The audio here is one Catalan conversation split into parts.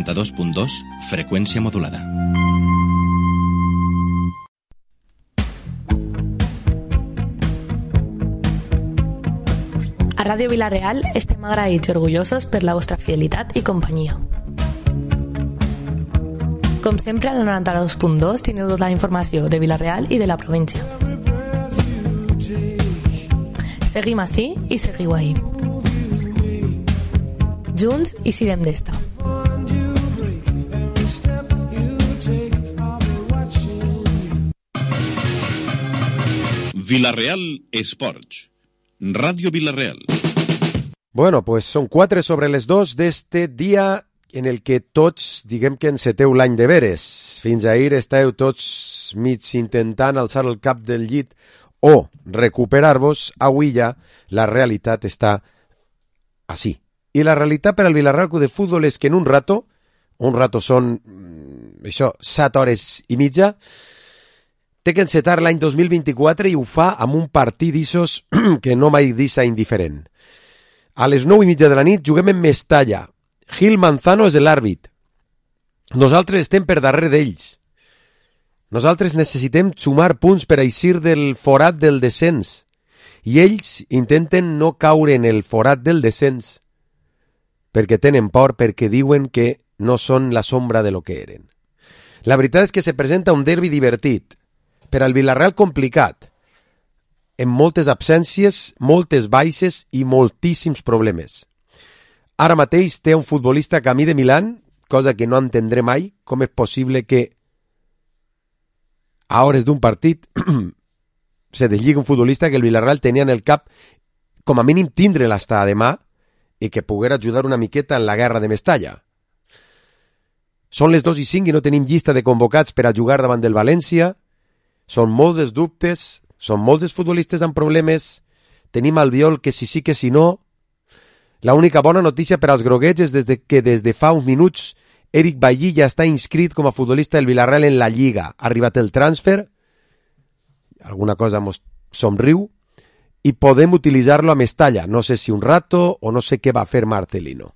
92.2, freqüència modulada. A Ràdio Vila-real estem agraïts i orgullosos per la vostra fidelitat i companyia. Com sempre, al 92.2 teniu tota la informació de Vila-real i de la província. Seguim ací i seguiu ahí. Junts i sirem d'esta. Vila-real Esports. Radio Vila-real. Bueno, pues son 4 sobre les 2 d'este dia en el que tots, diguem que enceteu l'any de veres. Fins ahir estàveu tots mig intentant alçar el cap del llit o recuperar-vos. Avui ja la realitat està així. I la realitat per al Vila-real Club de Futbol és que en un rato són, això, 7 hores i mitja, té que encetar l'any 2024 i ho fa amb un partit d'issos que no m'ha deixat indiferent. A les 9:30 de la nit juguem en Mestalla. Gil Manzano és l'àrbit. Nosaltres estem per darrere d'ells. Nosaltres necessitem sumar punts per eixir del forat del descens. I ells intenten no caure en el forat del descens perquè tenen por, perquè diuen que no són la sombra de lo que eren. La veritat és que se presenta un derbi divertit, per al Vila-real complicat, amb moltes absències, moltes baixes i moltíssims problemes. Ara mateix té un futbolista camí de Milán, cosa que no entendré mai, com és possible que a hores d'un partit se deslligui un futbolista que el Vila-real tenia en el cap, com a mínim tindre-la hasta demà, i que poguera ajudar una miqueta en la guerra de Mestalla. Són les 2:05 i no tenim llista de convocats per a jugar davant del València. Són molts els dubtes, són molts els futbolistes amb problemes. Tenim Albiol que si sí que si no. La única bona notícia per als groguets és que des de fa uns minuts Eric Bailly ja està inscrit com a futbolista del Vila-real en la Lliga. Ha arribat el transfer, alguna cosa mos somriu, i podem utilitzar-lo a Mestalla. No sé si un rato o no sé què va fer Marcelino.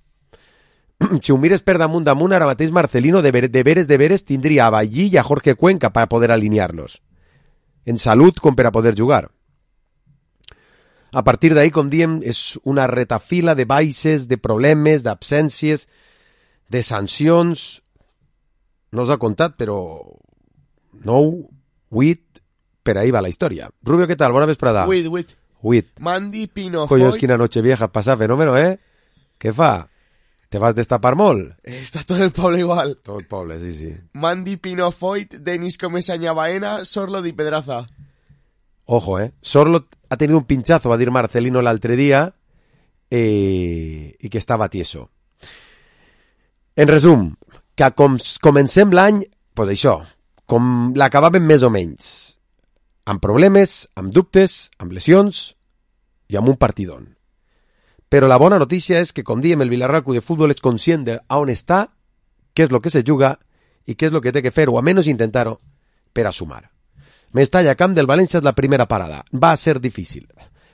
Si ho mires per damunt, ara mateix Marcelino de veres tindria a Bailly i a Jorge Cuenca per poder alinear-los. En salut com per a poder jugar. A partir d'ahí, com diem, és una retafila de baixes, de problemes, d'absències, de sancions. No us ha contat, però 9, 8, per ahí va la història. Rubio, què tal? Bona vesprada. 8. Mandy Pinofoy. Collons, quina noche vieja, passa fenómeno, ¿eh? Què fa? Te vas destapar molt? Está todo el poble igual. Todo el poble, sí. Mandy Pinofoy, Denis Comesaña Baena, Sorlo di Pedraza. Ojo, Sorlo ha tenido un pinchazo, va dir Marcelino l'altre dia, i que estava tieso. En resum, que comencem l'any, pues això, com l'acabàvem més o menys, amb problemes, amb dubtes, amb lesions i amb un partidón. Però la bona notícia és que, com diem, el Vila-real Club de Futbol és conscient de on està, què és el que se juga i què és el que té que fer, o almenys intentar-ho, per a sumar. Mestalla, camp del València, és la primera parada. Va ser difícil.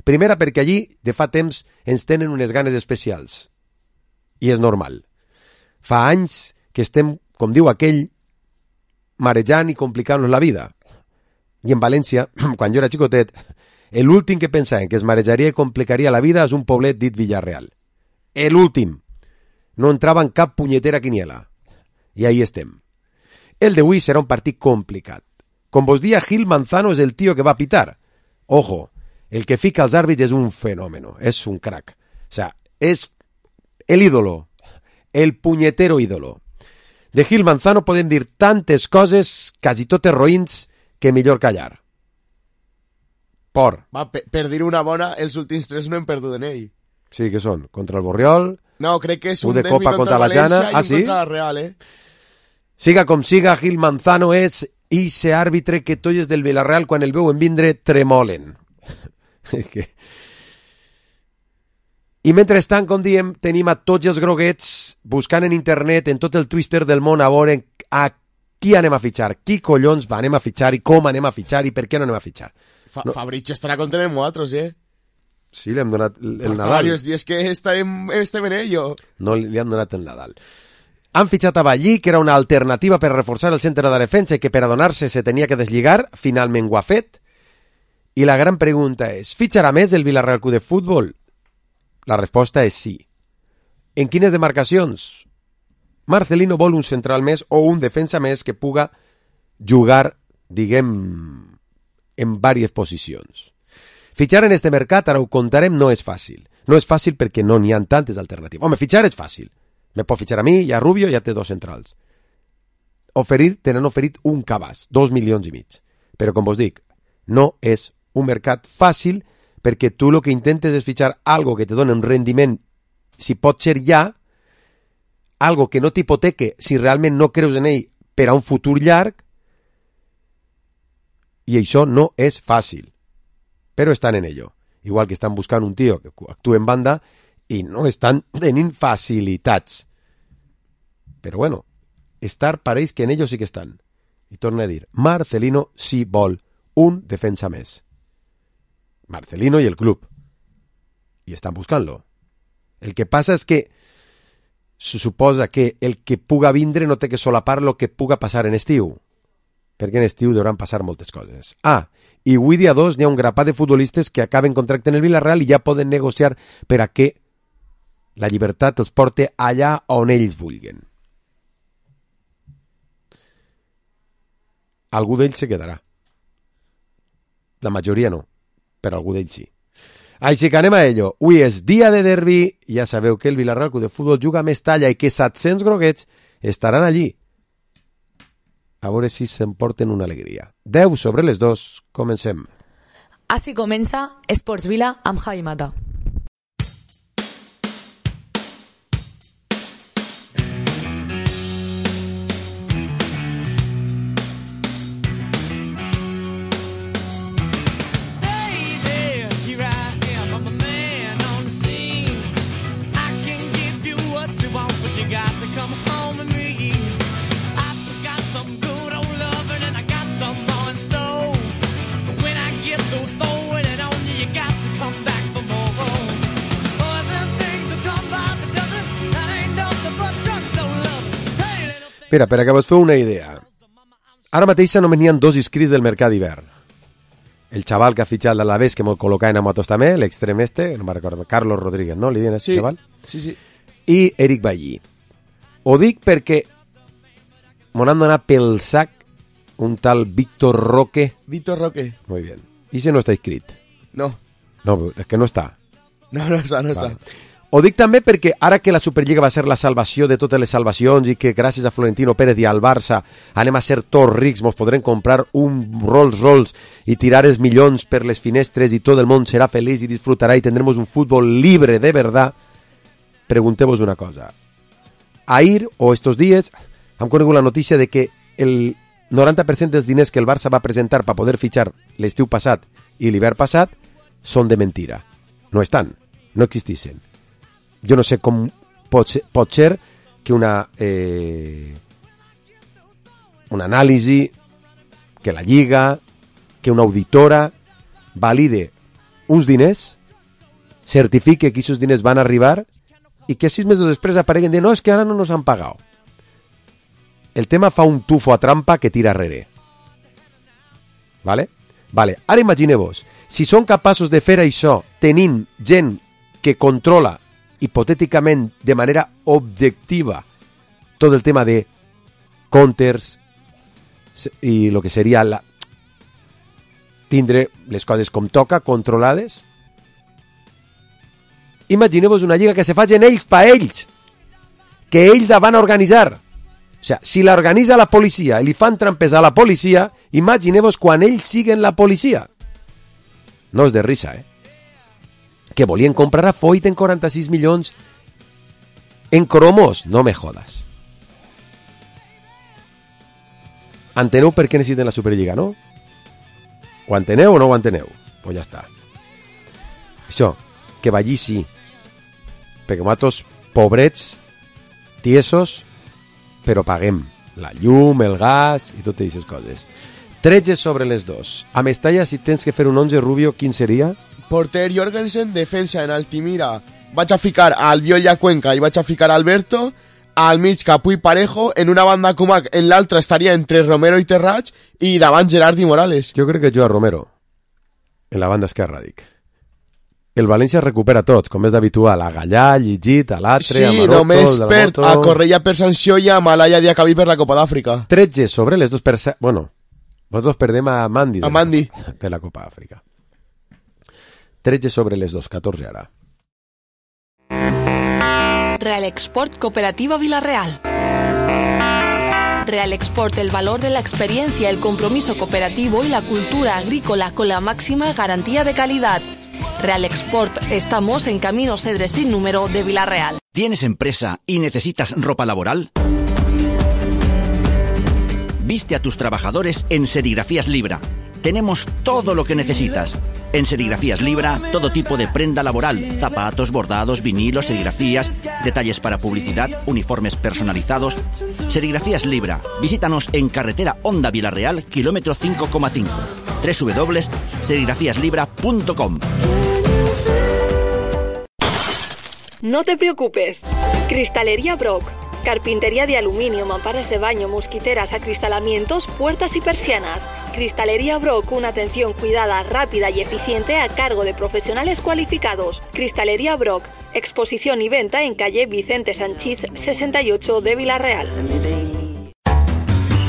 Primera perquè allí, de fa temps, ens tenen unes ganes especials. I és normal. Fa anys que estem, com diu aquell, marejant i complicant-nos la vida. I en València, quan jo era xicotet, l'últim que pensaven que es marejaria i complicaria la vida és un poblet dit Villarreal. L'últim. No entrava en cap punyetera quiniela. I ahí estem. El d'avui serà un partit complicat. Com vos dia, Gil Manzano és el tio que va a pitar. Ojo, el que fica als àrbits és un fenómeno, és un crack. O sea, és el ídolo, el punyetero ídolo. De Gil Manzano podem dir tantes coses, quasi totes roïns, que millor callar. Va, per dir una bona, els últims 3 no hem perdut en ell. Sí, que són? Contra el Borriol? No, crec que és un de derbi contra la València i un contra la Real, Siga com siga, Gil Manzano és ese àrbitre que tots del Villarreal, quan el veuen vindre, tremolen. I mentrestant, com diem, tenim a tots els groguets buscant en internet, en tot el twister del món, a veure a qui anem a fitxar, qui collons anem a fitxar i com anem a fitxar i per què no anem a fitxar. Fabricio estarà contra nosaltres, Sí, li hem donat el Nadal. Varios días que estem en ello. No, li han donat el Nadal. Han fitxat a Ballí, que era una alternativa per reforçar el centre de defensa i que per adonar-se se tenia que deslligar, finalment ho ha fet. I la gran pregunta és, fitxarà més el Villarreal Club de Futbol? La resposta és sí. En quines demarcacions? Marcelino vol un central més o un defensa més que puga jugar, diguem, en diverses posicions. Fitxar en este mercat, ara ho contarem, no és fàcil. No és fàcil perquè no n'hi ha tantes alternatives. Home, fitxar és fàcil. Me pot fitxar a mi, ja Rubio, ja té 2 centrals. Tenen oferit un cabàs, 2,5 milions. Però, com vos dic, no és un mercat fàcil perquè tu el que intentes és fitxar algo que te doni un rendiment, si pot ser ja, algo que no t'hipoteque si realment no creus en ell per a un futur llarg, i això no és fàcil. Però estan en ello. Igual que estan buscant un tio que actua en banda i no estan tenint facilitats. Però bueno, estar pareix que en ellos sí que estan. I torno a dir, Marcelino sí vol un defensa més. Marcelino i el club. I estan buscant-lo. El que passa és que se suposa que el que puga vindre no té que solapar lo que puga passar en estiu. Perquè en estiu deuran passar moltes coses. I avui dia 2 n'hi ha un grapat de futbolistes que acaben contracte en el Villarreal i ja poden negociar per a que la llibertat els porte allà on ells vulguen. Algú d'ells se quedarà. La majoria no, però algú d'ells sí. Així que anem a ello. Avui és dia de derbi, ja sabeu que el Villarreal Club de Futbol juga a Mestalla i que 700 groguets estaran allí. A veure si s'emporten una alegria. 10 sobre les 2, comencem. Així comença Esports Vila amb Javi Mata. Mira, per a que vos feu una idea, ara mateix només n'hi ha 2 inscrits del mercat d'hivern. El xaval que ha fitxat l'Alavés, que m'ho col·loca en Amatos també, l'extrem no me'n recordo, Carlos Rodríguez, no? Li diuen aquest xaval? Sí. I Eric Ballí. Ho dic perquè m'ho han donat pel sac un tal Víctor Roque. Víctor Roque. Muy bien. I si no està inscrit? No. No, és que no està. No està. Vale. Ho dic també perquè ara que la Superliga va ser la salvació de totes les salvacions i que gràcies a Florentino Pérez i al Barça anem a ser tots rics, mos podrem comprar un Rolls Royce i tirar els milions per les finestres i tot el món serà feliç i disfrutarà i tendremos un futbol libre de verdad, pregunteu-vos una cosa. Ahir o estos dies hem conegut la notícia de que el 90% dels diners que el Barça va presentar per poder fitxar l'estiu passat i l'hivern passat són de mentira. No estan, no existissin. Jo no sé com pot ser que una anàlisi, que la Lliga, que una auditora valide uns diners, certifique que aquests diners van arribar i que 6 mesos després apareguen de no, és que ara no nos han pagat. El tema fa un tufo a trampa que tira arrere. Vale? Ara imagineu-vos, si són capaços de fer això tenint gent que controla hipotèticament, de manera objectiva, tot el tema de counters i el que seria tindre les coses com toca, controlades. Imagineu-vos una lliga que se facin ells pa ells, que ells la van a organitzar. O sigui, si l'organitza la policia i li fan trampes a la policia, imagineu-vos quan ells siguen la policia. No és de risa, que volien comprar a Foyt en 46 milions en cromos, no me jodas. Enteneu per què necessiten la Superliga, no? Ho enteneu o no ho enteneu? Pues ja està. Això, que Ballí sí, perquè nosaltres, pobrets, tiesos, però paguem la llum, el gas i totes aquestes coses. 13 sobre les 2. A Mestalla, si tens que fer un 11, Rubio, quin seria? Porter Jorgensen, defensa en Altimira. Vaig a ficar a Albiol i a Cuenca i vaig a ficar a Alberto. al mig Capuy Parejo, en una banda Cumac en l'altra estaria entre Romero i Terrats i davant Gerard i Morales. Jo crec que jo a Romero, en la banda esquerra, dic. El València recupera tots, com és d'habitual, a Gallà, a Lligit, a l'Atre, sí, a Maroto, només perd Moto... a Correia per sanció i a Malaya Diacabí per la Copa d'Àfrica. 13 sobre les dos per... Bueno, nosaltres perdem a Mandi. A Mandi. De la Copa d'Àfrica. 13 sobre les dos, 14 ara. Real Export Cooperativa Villarreal. Real Export, el valor de la experiencia, el compromiso cooperativo y la cultura agrícola con la máxima garantía de calidad. Real Export, estamos en Camino Cedres sin número de Villarreal. ¿Tienes empresa y necesitas ropa laboral? Viste a tus trabajadores en Serigrafías Libra. Tenemos todo lo que necesitas. En Serigrafías Libra, todo tipo de prenda laboral, zapatos, bordados, vinilos, serigrafías, detalles para publicidad, uniformes personalizados. Serigrafías Libra. Visítanos en carretera Honda Villarreal, kilómetro 5,5. www.serigrafíaslibra.com. No te preocupes. Cristalería Brock. Carpintería de aluminio, mamparas de baño, mosquiteras, acristalamientos, puertas y persianas. Cristalería Brock, una atención cuidada, rápida y eficiente a cargo de profesionales cualificados. Cristalería Brock, exposición y venta en calle Vicente Sanchís 68 de Villarreal.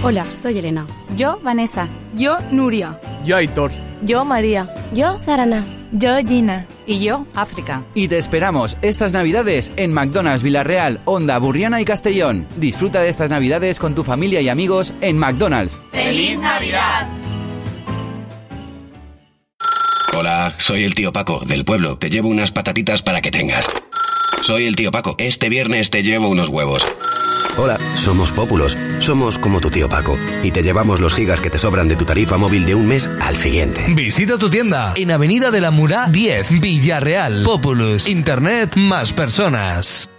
Hola, soy Elena. Yo, Vanessa. Yo, Nuria. Yo, Aitor. Yo, María. Yo, Zarana. Yo, Gina. Y yo, África. Y te esperamos estas Navidades en McDonald's Villarreal, Honda, Burriana y Castellón. Disfruta de estas Navidades con tu familia y amigos en McDonald's. ¡Feliz Navidad! Hola, soy el tío Paco, del pueblo. Te llevo unas patatitas para que tengas. Soy el tío Paco. Este viernes te llevo unos huevos. Hola, somos Pópulos. Somos como tu tío Paco. Y te llevamos los gigas que te sobran de tu tarifa móvil de un mes al siguiente. Visita tu tienda en Avenida de la Murá 10, Villarreal. Populus. Internet más personas.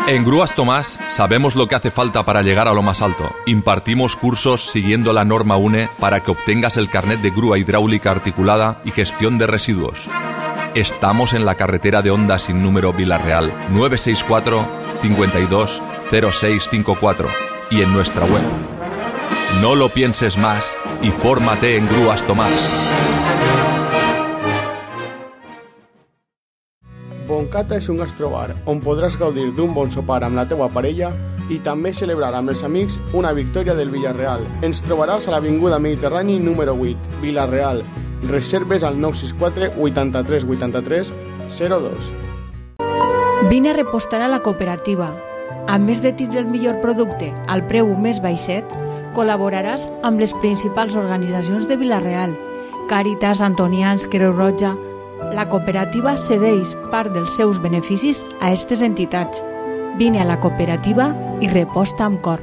En Grúas Tomás sabemos lo que hace falta para llegar a lo más alto. Impartimos cursos siguiendo la norma UNE para que obtengas el carnet de grúa hidráulica articulada y gestión de residuos. Estamos en la carretera de Honda sin número Villarreal, 964 52 0654 y en nuestra web. No lo pienses más y fórmate en Grúas Tomás. Boncata és un gastrobar on podràs gaudir d'un bon sopar amb la teua parella i també celebrar amb els amics una victòria del Villarreal. Ens trobaràs a l'Avinguda Mediterrani número 8, Villarreal. Reserves al 964 83 83 02. Vine a repostar a la cooperativa. A més de tindre el millor producte al preu més baixet, col·laboraràs amb les principals organitzacions de Villarreal, Càritas, Antonians, Creu Roja. La cooperativa cedeix part dels seus beneficis a aquestes entitats. Vine a la cooperativa i reposta amb cor.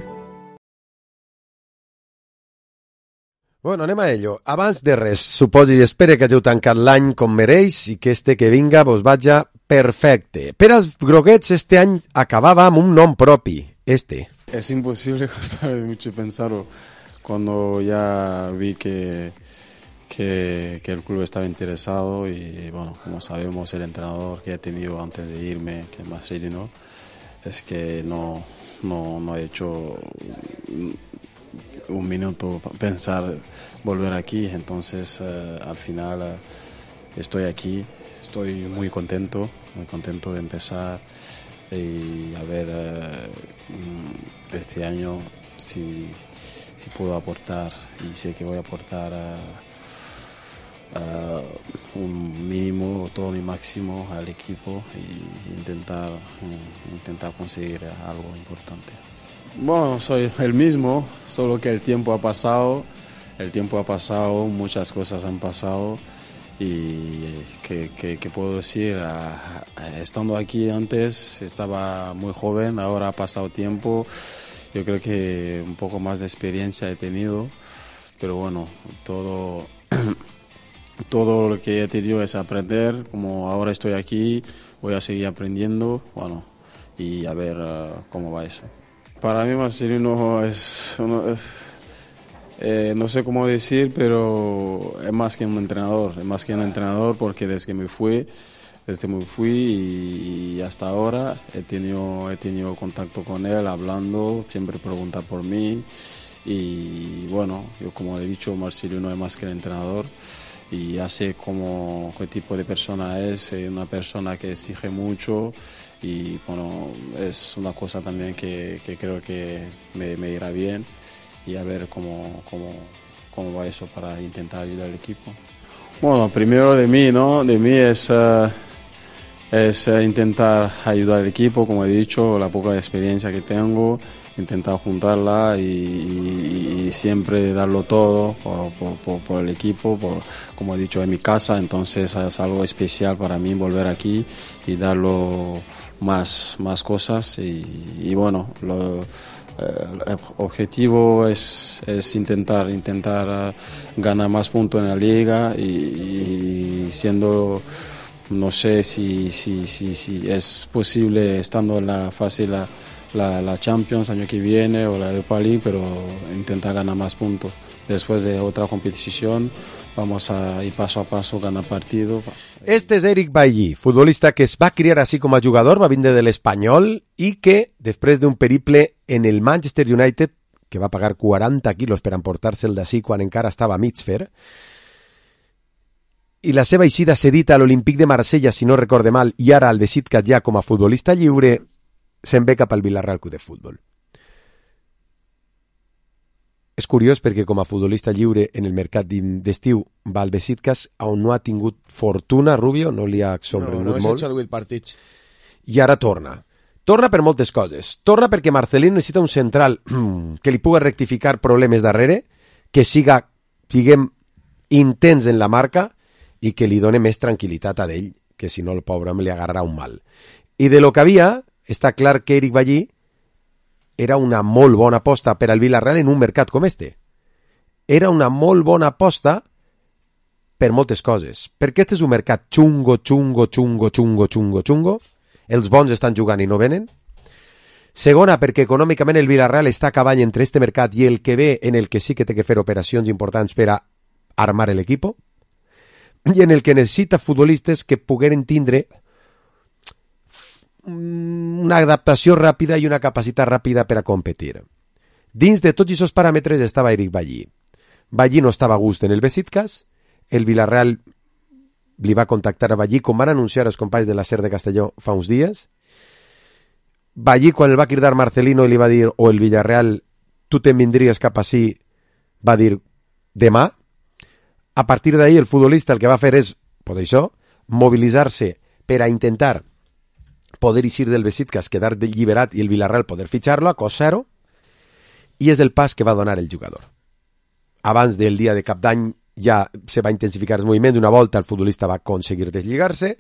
Bueno, anem a ello. Abans de res, suposo i espero que hàgiu tancat l'any com mereix i que este que vinga vos vaja perfecte. Per als groguets este any acabava amb un nom propi, este. Es imposible costar mucho pensarlo cuando ya vi que el club estaba interesado y bueno, como sabemos el entrenador que he tenido antes de irme, que es Marcelino, es que no he hecho un minuto pensar volver aquí, entonces al final estoy aquí, estoy muy contento de empezar y a ver este año si puedo aportar, y sé que voy a aportar un mínimo, todo mi máximo al equipo y intentar conseguir algo importante. Bueno, soy el mismo, solo que el tiempo ha pasado, muchas cosas han pasado y ¿qué puedo decir? Estando aquí antes estaba muy joven, ahora ha pasado tiempo, yo creo que un poco más de experiencia he tenido, pero bueno, todo lo que he tenido es aprender, como ahora estoy aquí, voy a seguir aprendiendo, bueno, y a ver cómo va eso. Para mí Marcelino no sé cómo decir, pero es más que un entrenador porque desde que me fui desde me fui y hasta ahora he tenido contacto con él, hablando, siempre pregunta por mí. Y bueno, yo como he dicho, Marcelino es más que el entrenador y hace como qué tipo de persona es, una persona que exige mucho y bueno, es una cosa también que creo que me irá bien y a ver cómo va eso para intentar ayudar al equipo. Bueno, primero de mí, ¿no? De mí es intentar ayudar al equipo, como he dicho, la poca experiencia que tengo, intentar juntarla y siempre darlo todo por el equipo, como he dicho, en mi casa, entonces es algo especial para mí volver aquí y darlo más cosas y bueno, el objetivo es intentar ganar más puntos en la liga y siendo, no sé si es posible estando en la fase la Champions año que viene o la Europa League, pero intentar ganar más puntos. Después de otra competición vamos a ir paso a paso, ganar partido. Este és Eric Bailly, futbolista que es va criar així com a jugador, va vindre de l'Espanyol i que, després d'un periple en el Manchester United, que va pagar 40 quilos per emportar-se'l d'ací quan encara estava a mig fer, i la seva eixida cedita a l'Olímpic de Marsella, si no recorde mal, i ara al Besiktas ja com a futbolista lliure, se'n ve cap al Villarreal Club de Futbol. És curiós perquè com a futbolista lliure en el mercat d'estiu va al Besiktas, on no ha tingut fortuna, Rubio, no li ha sobrevingut molt. No, només ha hecho 8 partits. I ara torna. Torna per moltes coses. Torna perquè Marcelino necessita un central que li pugui rectificar problemes darrere, que siguem intens en la marca i que li doni més tranquil·litat a d'ell, que si no el pobre me li agarrarà un mal. I de lo que havia, està clar que Eric Bailly era una molt bona aposta per al Villarreal en un mercat com este. Era una molt bona aposta per moltes coses. Perquè este és un mercat xungo. Els bons estan jugant i no venen. Segona, perquè econòmicament el Villarreal està a cavall entre este mercat i el que ve, en el que sí que té que fer operacions importants per a armar l'equip, i en el que necessita futbolistes que pogueren tindre una adaptació ràpida i una capacitat ràpida per a competir. Dins de tots aquests paràmetres estava Eric Bailly. Bailly no estava a gust en el Besiktas, el Villarreal li va contactar a Bailly, com van anunciar els companys de la SER de Castelló fa uns dies. Bailly, quan el va cridar Marcelino i li va dir, o el Villarreal, tu te'n vindries cap ací, va dir, demà. A partir d'ahí el futbolista el que va fer és, pues això, mobilitzar-se per a intentar poder eixir del Besiktas, quedar alliberat i el Villarreal poder fitxar-lo a cost zero, i és el pas que va donar el jugador. Abans del dia de cap d'any ja se va intensificar els moviments, una volta el futbolista va aconseguir deslligar-se,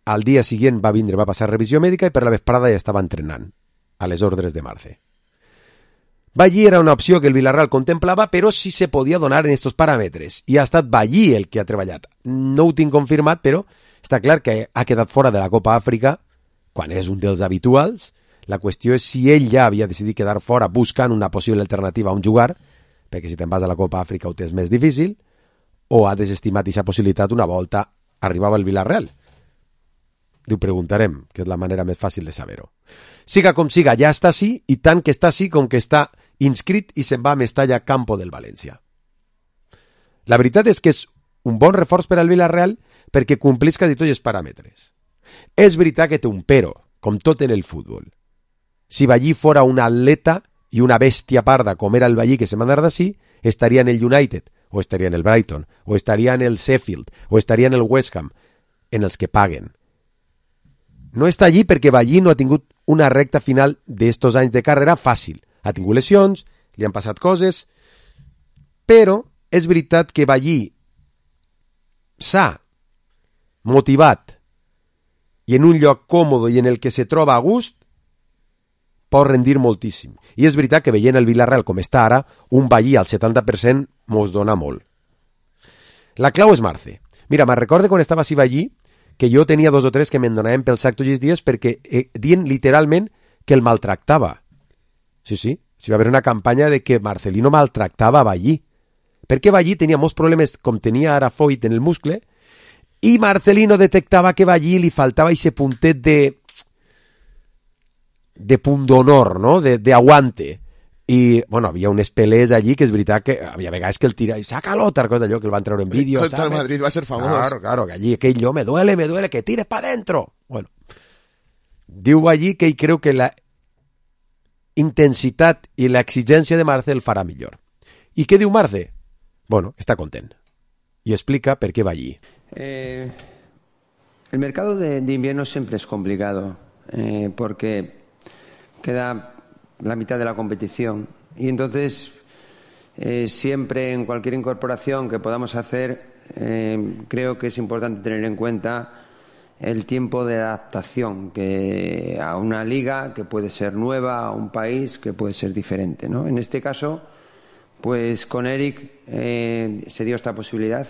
al dia següent va passar revisió mèdica i per la vesprada ja estava entrenant, a les ordres de Marce. Bailly era una opció que el Villarreal contemplava, però sí se podia donar en estos paràmetres, i ha estat Bailly el que ha treballat. No ho tinc confirmat, però està clar que ha quedat fora de la Copa Àfrica, quan és un dels habituals. La qüestió és si ell ja havia decidit quedar fora buscant una possible alternativa on jugar, perquè si te'n vas a la Copa Àfrica ho tens més difícil, o ha desestimat aquesta possibilitat una volta arribava el Villarreal. Ho preguntarem, que és la manera més fàcil de saber-ho. Siga com siga, ja està així, i tant que està així com que està inscrit i se'n va a Mestalla Campo del València. La veritat és que és un bon reforç per al Villarreal perquè complís quasi tots els paràmetres. És veritat que té un però, com tot en el futbol. Si Bailly fora un atleta i una bèstia parda com era el Bailly que se va anar d'ací, estaria en el United, o estaria en el Brighton, o estaria en el Sheffield, o estaria en el West Ham, en els que paguen. No està allí perquè Bailly no ha tingut una recta final d'estos anys de carrera fàcil. Ha tingut lesions, li han passat coses, però és veritat que Bailly s'ha motivat i en un lloc còmode i en el que se troba a gust pot rendir moltíssim. I és veritat que veient el Villarreal com està ara, un Bailly al 70% mos dona molt. La clau és Marce. Mira, me'n recordo quan estava així Bailly que jo tenia 2 o 3 que me'n donaven pel sac tots els dies perquè dient literalment que el maltractava. Sí, va haver una campanya de que Marcelino maltractava a Bailly. Perquè Bailly tenia molts problemes, com tenia ara Foyt en el muscle, Y Marcelino detectaba que allí li faltava ese puntet de pundonor, no? De aguante. I, bueno, havia unes pelés allí que és veritat que havia vegades que el tira i saca-lo, tal cosa allò que el van treure en vídeo. Contra el Madrid va ser famós. Claro, que allí aquell jo me duele, que tires pa dentro. Bueno, diu allí que ell creu que la intensitat i la exigència de Marce el farà millor. I què diu Marce? Bueno, està content. Y explica por qué va allí. El mercado de invierno siempre es complicado porque queda la mitad de la competición y entonces siempre en cualquier incorporación que podamos hacer creo que es importante tener en cuenta el tiempo de adaptación que a una liga que puede ser nueva, a un país que puede ser diferente, ¿no? En este caso, pues con Eric se dio esta posibilidad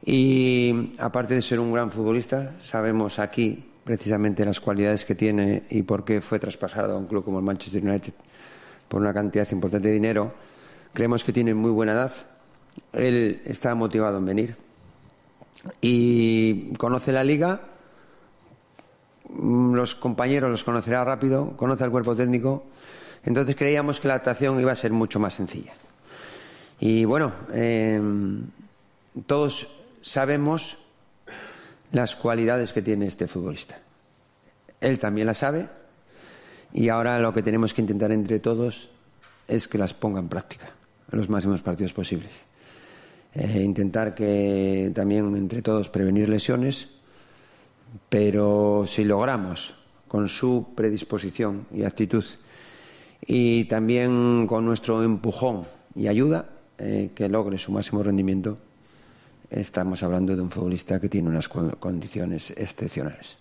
y aparte de ser un gran futbolista, sabemos aquí precisamente las cualidades que tiene y por qué fue traspasado a un club como el Manchester United por una cantidad importante de dinero. Creemos que tiene muy buena edad, él está motivado en venir y conoce la liga, los compañeros los conocerá rápido, conoce al cuerpo técnico, entonces creíamos que la adaptación iba a ser mucho más sencilla. Y bueno, todos sabemos las cualidades que tiene este futbolista. Él también las sabe y ahora lo que tenemos que intentar entre todos es que las ponga en práctica en los máximos partidos posibles. Intentar que también entre todos prevenir lesiones, pero si logramos con su predisposición y actitud y también con nuestro empujón y ayuda que logre su máximo rendimiento, estamos hablando de un futbolista que tiene unas condiciones excepcionales.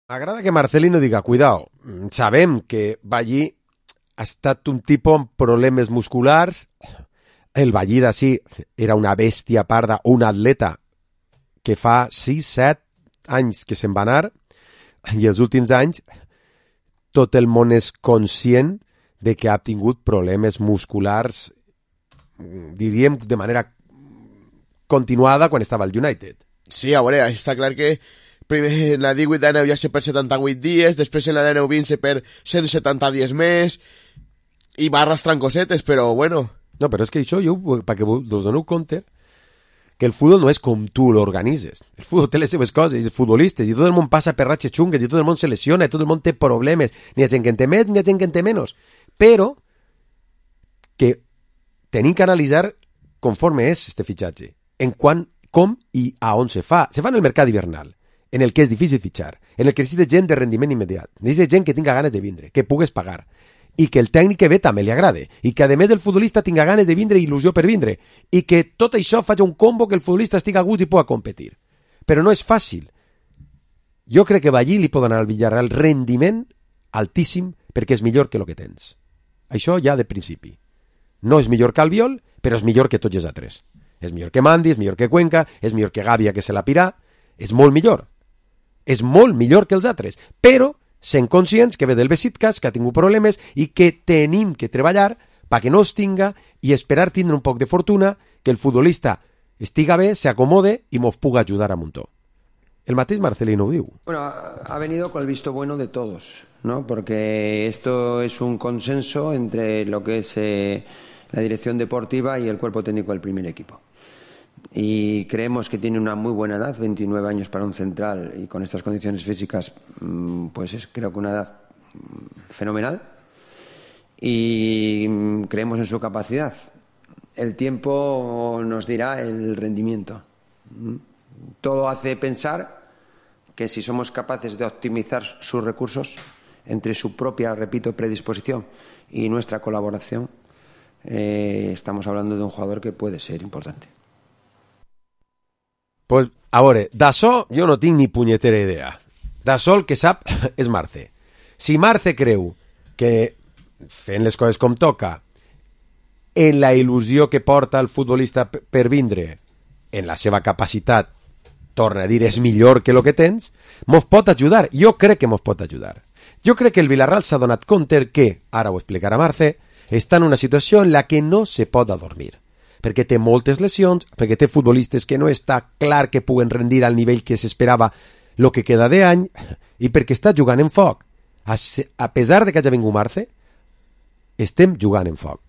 M'agrada que Marcelino diga, cuidao, sabem que Ballí ha estat un tipus amb problemes musculars, el Ballí d'ací era una bèstia parda, un atleta que fa 6-7 anys que se'n va anar, i els últims anys tot el món és conscient de que ha tingut problemes musculars, diríem, de manera continuada quan estava al United. Sí, a veure, està clar que primer en la 18 d'aneu ja se per 78 dies, després en la d'aneu 20 se per 170 dies més, i va arrastrant cosetes, però bueno. No, però és que això, jo, perquè us doneu compte, que el futbol no és com tu l'organitzes. El futbol té les seves coses, els futbolistes, i tot el món passa per ratxes xungues, i tot el món se lesiona, i tot el món té problemes, ni ha gent que en té més, ni ha gent que en té menys. Però que tenim que analitzar conforme és este fitxatge, en quant, com i a on se fa. Se fa en el mercat hivernal, en el que és difícil fitxar, en el que necessita gent de rendiment immediat, necessita gent que tinga ganes de vindre, que pugues pagar, i que el tècnic que ve també li agrade, i que a més el futbolista tinga ganes de vindre i il·lusió per vindre, i que tot això faci un combo que el futbolista estigui a gust i pugui competir. Però no és fàcil. Jo crec que Ballí li pot donar al Villarreal rendiment altíssim perquè és millor que el que tens. Això ja de principi. No és millor que Albiol, però és millor que tots els altres. És millor que Mandi, és millor que Cuenca, és millor que Gàbia, que se la pirà, és molt millor. És molt millor que els altres, però sent conscients que ve del Besiktas, que ha tingut problemes i que tenim que treballar perquè no es tinga i esperar tindre un poc de fortuna, que el futbolista estiga bé, se acomode i mos puga ajudar a muntó. El mateix Marcelino ho diu. Bueno, ha venido con el visto bueno de todos, ¿no? Porque esto es un consenso entre lo que es la dirección deportiva y el cuerpo técnico del primer equipo. Y creemos que tiene una muy buena edad, 29 años para un central y con estas condiciones físicas, pues es creo que una edad fenomenal y creemos en su capacidad. El tiempo nos dirá el rendimiento. Todo hace pensar que si somos capaces de optimizar sus recursos entre su propia, repito, predisposición y nuestra colaboración, estamos hablando de un jugador que puede ser importante. Pues, a veure, d'això jo no tinc ni punyetera idea. D'això el que sap és Marce. Si Marce creu que fent les coses com toca, en la il·lusió que porta el futbolista per vindre, en la seva capacitat, torna a dir, és millor que el que tens, mos pot ajudar. Jo crec que mos pot ajudar. Jo crec que el Villarreal s'ha donat compte que, ara ho explicarà Marce, està en una situació en la que no se pot adormir. perquè té moltes lesions, perquè té futbolistes que no està clar que puguen rendir al nivell que s'esperava el que queda d'any, i perquè està jugant en foc. A pesar de que hagi vingut Marce, estem jugant en foc.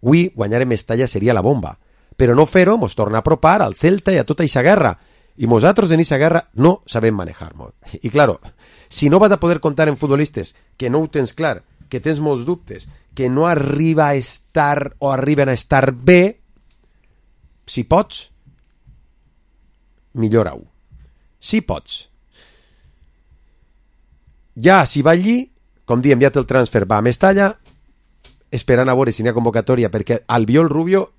Avui guanyar en Mestalla seria la bomba, però no fer-ho mos torna a apropar al Celta i a tota aquesta guerra, i nosaltres en aquesta guerra no sabem manejar-nos. I claro, si no vas a poder contar en futbolistes que no ho tens clar, que tens molts dubtes, que no arriba a estar o arriben a estar bé, si pots, millora-ho. Si pots. Ja, si va allí, com diem, ja té el transfer, va a Mestalla, esperant a veure si n'hi ha convocatòria, perquè Albiol Rubio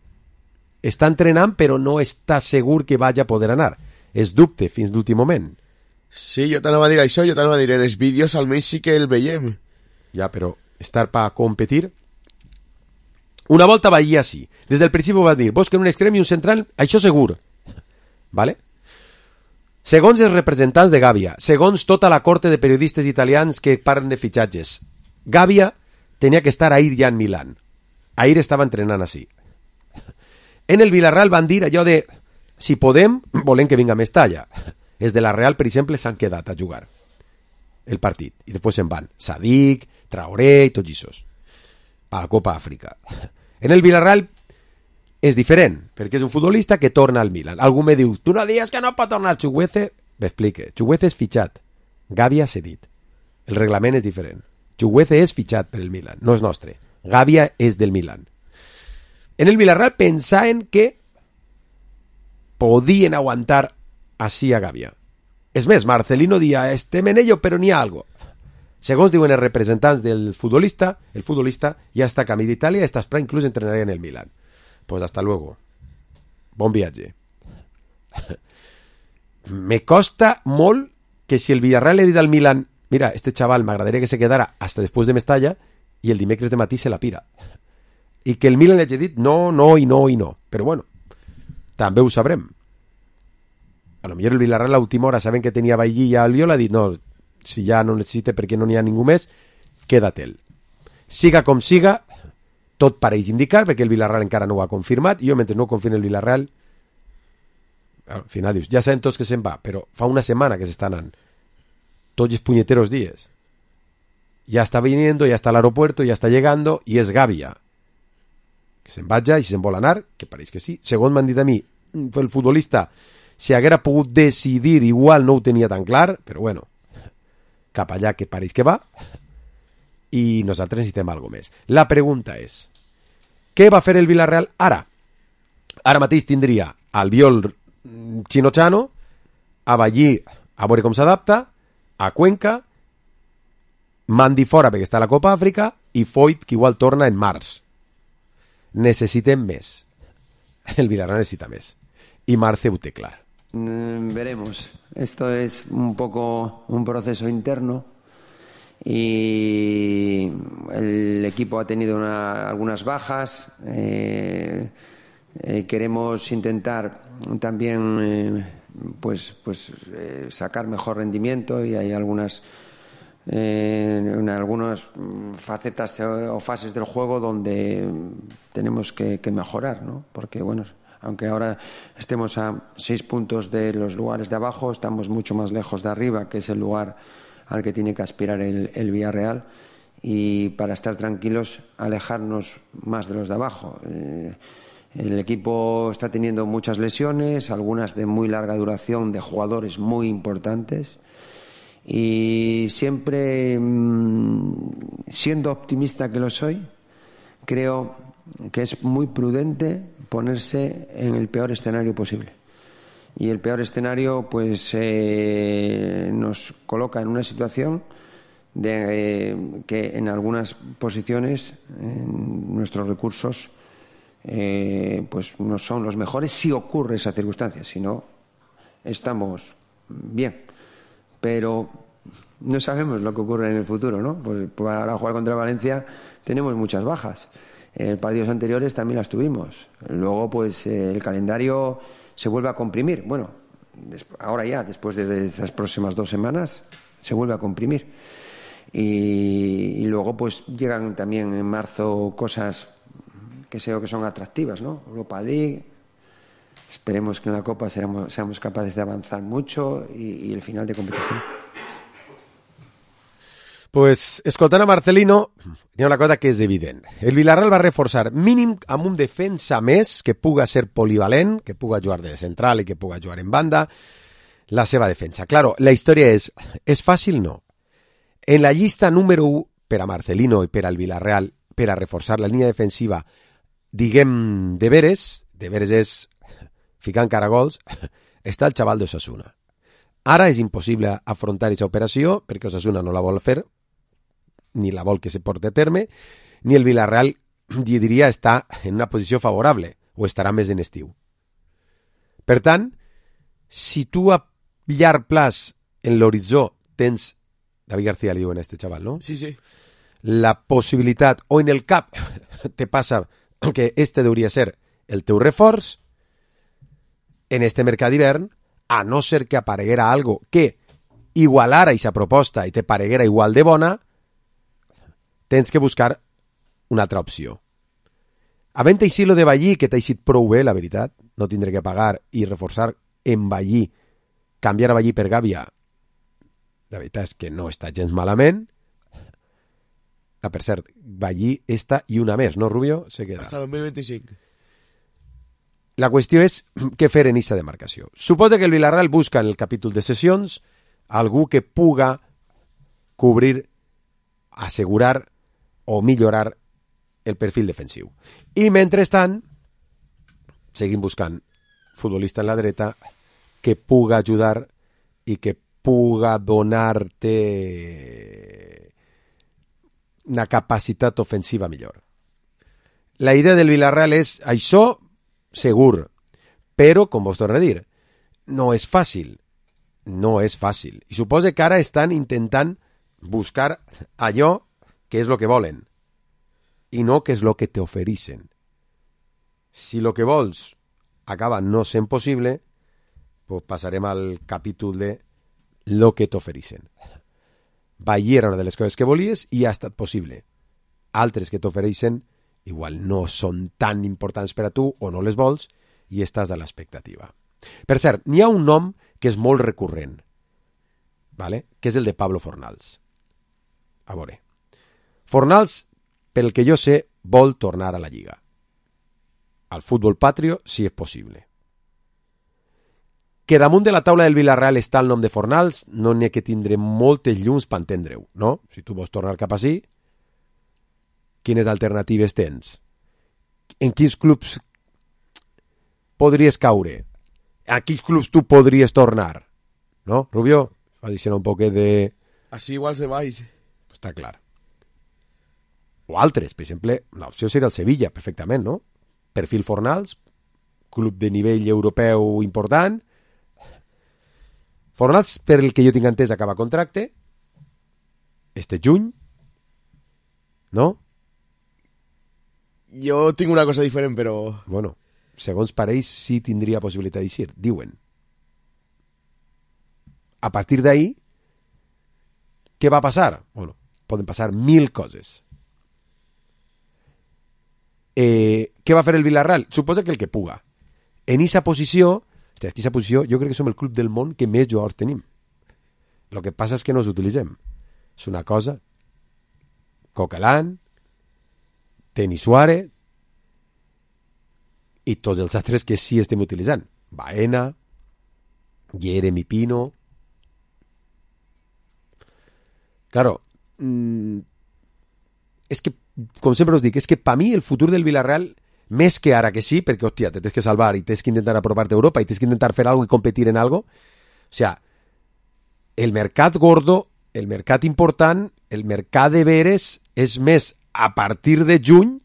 està entrenant però no està segur que vagi a poder anar. És dubte fins l'últim moment. Sí, jo t'anava a dir això, jo t'anava a dir, en els vídeos almenys sí que el veiem. Ja, però estar per competir... Una volta va allí així. Des del principi va dir, vos que un extrem i un central, això segur. Vale? Segons els representants de Gàbia, segons tota la corte de periodistes italians que parlen de fitxatges, Gàbia tenia que estar ahir ja en Milán. Ahir estava entrenant així. En el Villarreal van dir allò de si podem, volem que vinga a Mestalla. Els de la Real, per exemple, s'han quedat a jugar el partit. I després se'n van. Sadik, Traoré i tots aquests. A la Copa Àfrica. En el Villarreal és diferent, perquè és un futbolista que torna al Milan. Algú me diu, tu no dius que no pot tornar Chukwueze? M'explique. Chukwueze és fitxat. Gàbia s'ha dit. El reglament és diferent. Chukwueze és fitxat per el Milan, no és nostre. Gàbia és del Milan. En el Villarreal pensaven que podien aguantar així a Gàbia. És més, Marcelino dia, estem en ello, però n'hi ha algo. Segons diuen els representants del futbolista, el futbolista ja està a camí d'Itàlia i està esperant inclús entrenar en el Milan. Pues hasta luego. Bon viatge. Me costa molt que si el Villarreal le dit al Milan, mira, este chaval m'agradaria que se quedara hasta després de Mestalla, i el dimecres de matí se la pira. I que el Milan li hagi dit no, no i no i no. Però bueno, també ho sabrem. A lo millor el Villarreal a l'última hora saben que tenia Bailly i Albiol, ha dit no, si ja no necessita perquè no n'hi ha ningú més, queda-te'l. Siga com siga, tot pareix indicar, perquè el Villarreal encara no ho ha confirmat, i jo mentre no confirmi el Villarreal, al final dius, ja sabem tots que se'n va, però fa una setmana que s'està anant, tots els puñeteros días. Ya está viniendo, ya está al aeropuerto, ya está llegando, y es Gàbia. Que se'n vaja, i si se'n vol anar, que pareix que sí. Segons m'han dit a mi, el futbolista, si haguera pogut decidir, igual no ho tenia tan clar, però bueno, cap allà que pareix que va, i nosaltres necessitem alguna més. La pregunta és, què va fer el Villarreal ara? Ara mateix tindria Albiol Chino-Chano, a Bailly a veure com s'adapta, a Cuenca, Mandi fora perquè està a la Copa Àfrica, i Foyt que igual torna en març. Necessitem més. El Villarreal necesita més. Y Marce ho té clar. Veremos. Esto es un poco un proceso interno y el equipo ha tenido algunas bajas. Queremos intentar también sacar mejor rendimiento y hay en algunas facetas o fases del juego donde tenemos que mejorar, ¿no? Porque bueno, aunque ahora estemos a 6 puntos de los lugares de abajo, estamos mucho más lejos de arriba, que es el lugar al que tiene que aspirar el Villarreal, y para estar tranquilos alejarnos más de los de abajo. El equipo está teniendo muchas lesiones, algunas de muy larga duración, de jugadores muy importantes, y siempre, siendo optimista que lo soy, creo que es muy prudente ponerse en el peor escenario posible. Y el peor escenario pues nos coloca en una situación de que en algunas posiciones nuestros recursos pues no son los mejores si ocurre esa circunstancia. Si no, estamos bien. Pero no sabemos lo que ocurre en el futuro, ¿no? Pues para jugar contra Valencia tenemos muchas bajas. En partidos anteriores también las tuvimos. Luego, pues el calendario se vuelve a comprimir. Bueno, ahora ya, después de estas próximas 2 semanas, se vuelve a comprimir. Y luego, pues llegan también en marzo cosas que son atractivas, ¿no? Europa League. Esperemos que en la Copa seamos capaces de avanzar mucho y el final de competición. Pues, escoltant a Marcelino, hi ha una cosa que és evident. El Villarreal va reforçar mínim amb un defensa més que puga ser polivalent, que puga jugar de central i que puga jugar en banda, la seva defensa. Claro, la història és fàcil? No. En la llista número 1 per a Marcelino i per al Villarreal per a reforçar la línia defensiva, diguem de veres és ficant caragols, està el xaval d'Osasuna. Ara és impossible afrontar aquesta operació perquè Osasuna no la vol fer, ni la vol que se porti a terme, ni el Villarreal, jo diria, està en una posició favorable, o estarà més en estiu. Per tant, si tu a llarg plaç en l'horitzó tens, David García li diuen a este xaval, no? Sí. La possibilitat, o en el cap te passa que este hauria ser el teu reforç, en este mercat d'hivern, a no ser que apareguera algo que igualara aquesta proposta i te pareguera igual de bona, tens que buscar una altra opció. Havent així lo de Ballí, que t'ha eixit prou bé, la veritat, no tindré que pagar i reforçar en Ballí, canviar a Ballí per Gàbia, la veritat és que no està gens malament. Per cert, Ballí esta i una més, no, Rubio? Se queda. Hasta 2025. La qüestió és què fer en aquesta demarcació. Suposa que el Villarreal busca en el capítol de sessions algú que puga cobrir, assegurar o millorar el perfil defensiu. I mentrestant seguim buscant futbolista en la dreta que puga ajudar i que puga donar-te una capacitat ofensiva millor. La idea del Villarreal és això segur, però, com vos torno a dir, no és fàcil. No és fàcil. I suposa que ara estan intentant buscar allò que és el que volen i no que és el que t'ofereixen. Si el que vols acaba no sent possible, pues passarem al capítol de lo que t'ofereixen. Ballí era una de les coses que volies i ha estat possible. Altres que t'ofereixen igual no són tan importants per a tu o no les vols i estàs a l'expectativa. Per cert, n'hi ha un nom que és molt recurrent, ¿vale? Que és el de Pablo Fornals. A veure, Fornals, pel que jo sé, vol tornar a la Lliga. Al futbol patrio, si és possible. Que damunt de la taula del Villarreal està el nom de Fornals, no n'hi ha que tindre moltes llums per entendre-ho, no? Si tu vols tornar cap ací, quines alternatives tens? En quins clubs podries caure? A quins clubs tu podries tornar? No, Rubio? Va dir un poquet de... Així igual se vais. Està clar. O altres, per exemple, l'opció seria el Sevilla, perfectament, no? Perfil Fornals, club de nivell europeu important. Fornals, per el que jo tinc entès, acaba contracte este juny, no? Jo tinc una cosa diferent, però... Bueno, segons pareix, sí tindria possibilitat d'eixir, diuen. A partir d'ahí, què va passar? Bueno, poden passar 1000 coses. Què va fer el Villarreal? Suposa que el que puga. En aquesta posició, jo crec que som el club del món que més jugadors tenim. El que passa és que no els utilitzem. És una cosa. Coquelin, Denis Suárez i tots els altres que sí estem utilitzant. Baena, Jeremy Pino. Claro, és que, com sempre us dic, és que per mi el futur del Villarreal, més que ara que sí, perquè, hòstia, te tens que salvar i tens que intentar apropar-te a Europa i tens que intentar fer alguna cosa i competir en algo, o sea, el mercat gordo, el mercat important, el mercat de veres és més a partir de juny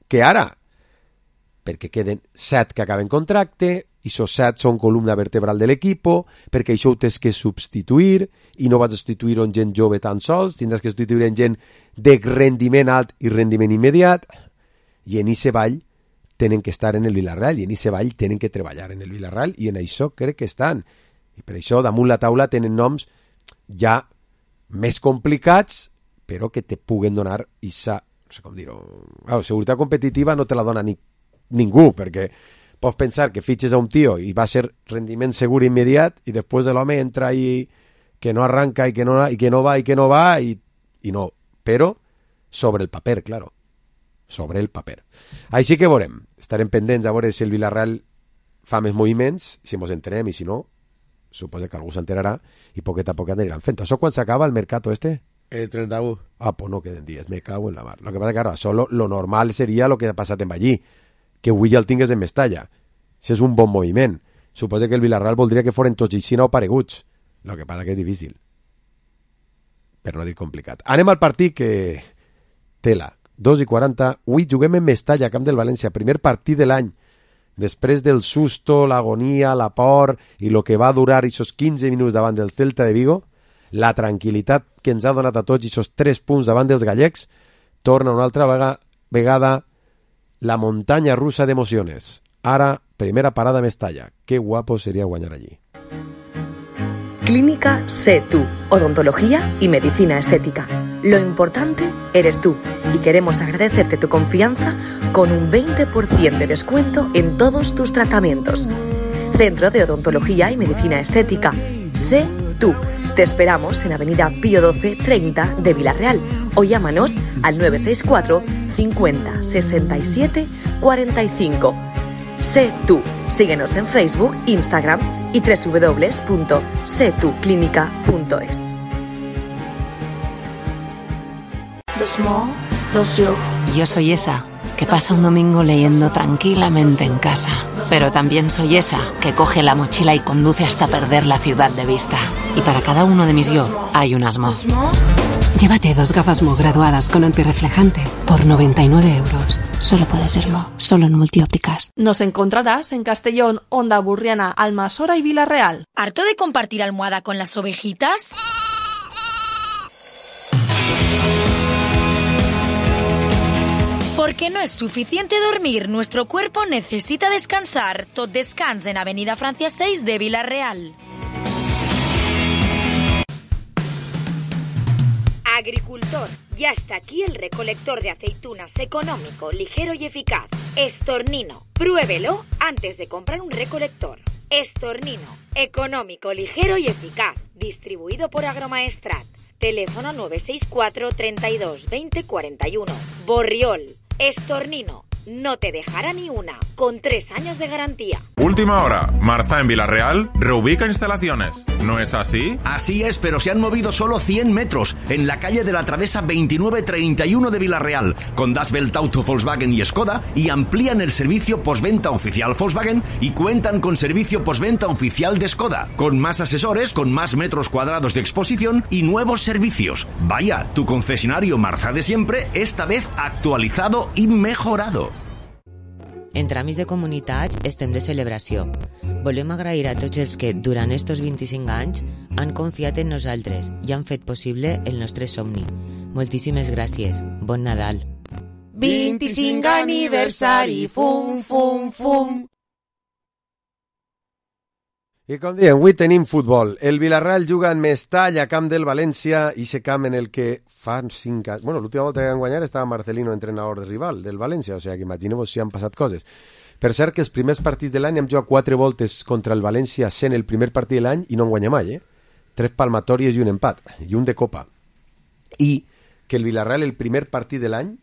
que ara, perquè queden 7 que acaben contracte i esos 7 són columna vertebral de l'equipo, perquè això ho tens que substituir i no vas a substituir en gent jove tan sols, tindràs que substituir en gent de rendiment alt i rendiment immediat, i en aquest ball tenen que estar en el Villarreal i en aquest ball tenen que treballar en el Villarreal i en això crec que estan. I per això damunt la taula tenen noms ja més complicats però que te puguen donar aquesta sé com dir-ho, seguretat competitiva no te la dona ningú, perquè pots pensar que fitxes a un tio i va ser rendiment segur immediat i després l'home entra i que no arranca i que no va i no, però sobre el paper, claro, sobre el paper. Així que veurem, estarem pendents a veure si el Villarreal fa més moviments, si ens entenem, i si no, suposo que algú s'enterarà i poquet a poquet aniran fent. Això quan s'acaba el mercato este? El 31. Pues no queden dies, me cago en la mar. Lo que pasa que, claro, solo lo normal seria lo que ha passat en Ballí, que avui ja el tingués en Mestalla. Això és un bon moviment. Suposo que el Villarreal voldria que foren tots Ixina o pareguts. Lo que passa que és difícil. Per no dir complicat. Anem al partit que... Tela. 2:40. Avui juguem en Mestalla, camp del València. Primer partit de l'any. Després del susto, l'agonia, la por i lo que va durar aquests 15 minuts davant del Celta de Vigo, la tranquil·litat que ens ha donat a tots aquests 3 punts davant dels gallecs, torna una altra vegada la muntanya russa d'emocions. Ara, primera parada a Mestalla. Qué guapo sería guanyar allí. Clínica Sé Tú, odontología y medicina estética. Lo importante eres tú y queremos agradecerte tu confianza con un 20% de descuento en todos tus tratamientos. Centro de Odontología y Medicina Estética. Sé Tú. Te esperamos en Avenida Pío 12 30 de Villarreal o llámanos al 964 50 67 45. Sé Tú. Síguenos en Facebook, Instagram y www.setuclinica.es. Yo soy esa que pasa un domingo leyendo tranquilamente en casa, pero también soy esa que coge la mochila y conduce hasta perder la ciudad de vista. Y para cada uno de mis yo hay un Asmo. Llévate 2 gafas Mo graduadas con antirreflejante por 99 euros. Solo puede ser Mo, solo en Multiópticas. Nos encontrarás en Castellón, Onda Burriana, Almasora y Villarreal. ¿Harto de compartir almohada con las ovejitas? Porque no es suficiente dormir, nuestro cuerpo necesita descansar. Tot Descans en Avenida Francia 6 de Villarreal. Agricultor, ya está aquí el recolector de aceitunas económico, ligero y eficaz. Estornino, pruébelo antes de comprar un recolector. Estornino, económico, ligero y eficaz. Distribuido por Agromaestrat. Teléfono 964 32 20 41. Borriol, Estornino, no te dejará ni una, con 3 años de garantía. Última hora, Marza en Villarreal reubica instalaciones. ¿No es así? Así es, pero se han movido solo 100 metros, en la calle de la Travesa 2931 de Villarreal, con Das Welt Auto Volkswagen y Skoda, y amplían el servicio postventa oficial Volkswagen y cuentan con servicio postventa oficial de Skoda, con más asesores, con más metros cuadrados de exposición y nuevos servicios. Vaya, tu concesionario Marza de siempre, esta vez actualizado i mejorado. En tràmits de comunitats estem de celebració. Volem agrair a tots els que, durant estos 25 anys, han confiat en nosaltres i han fet possible el nostre somni. Moltíssimes gràcies. Bon Nadal. 25 aniversari, fum, fum, fum. I com diem, avui tenim futbol. El Villarreal juga en Mestalla, camp del València, i se camp en el que fan 5 anys... Bueno, l'última volta que van guanyar estava Marcelino, entrenador de rival del València, o sigui que imagineu si han passat coses. Per cert, que els primers partits de l'any hem jugat 4 voltes contra el València sent el primer partit de l'any i no en guanya mai, 3 palmatòries i un empat, i un de Copa. I que el Villarreal, el primer partit de l'any,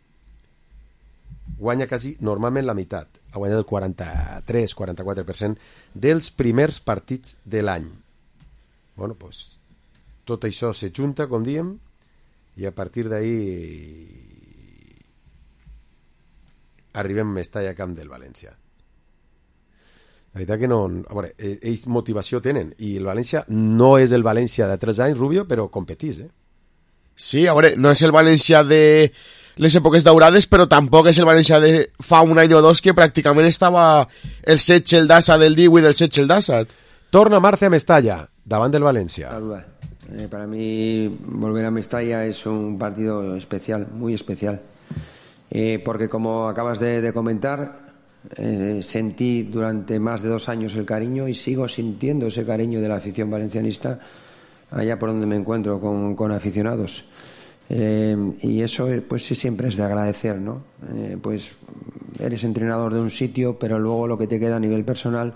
guanya quasi normalment la meitat. Ha guanyat el 43-44% dels primers partits de l'any. Bueno, pues, tot això se junta, com diem, i a partir d'ahí arribem a Mestalla, camp del València. La veritat que no... A veure, ells motivació tenen, i el València no és el València de 3 anys, Rubio, però competís, Sí, a veure, no és el València de les èpoques daurades, però tampoc és el València de fa un any o dos que pràcticament estava el Setge, el Dassa del Diu i del Setge, el Dassa. Torna Marce a Mestalla, davant del Valencia. Para mí volver a Mestalla es un partido especial, muy especial, porque como acabas de comentar, sentí durante más de 2 años el cariño y sigo sintiendo ese cariño de la afición valencianista allá por donde me encuentro con aficionados. Y eso pues sí siempre es de agradecer, ¿no? Pues eres entrenador de un sitio, pero luego lo que te queda a nivel personal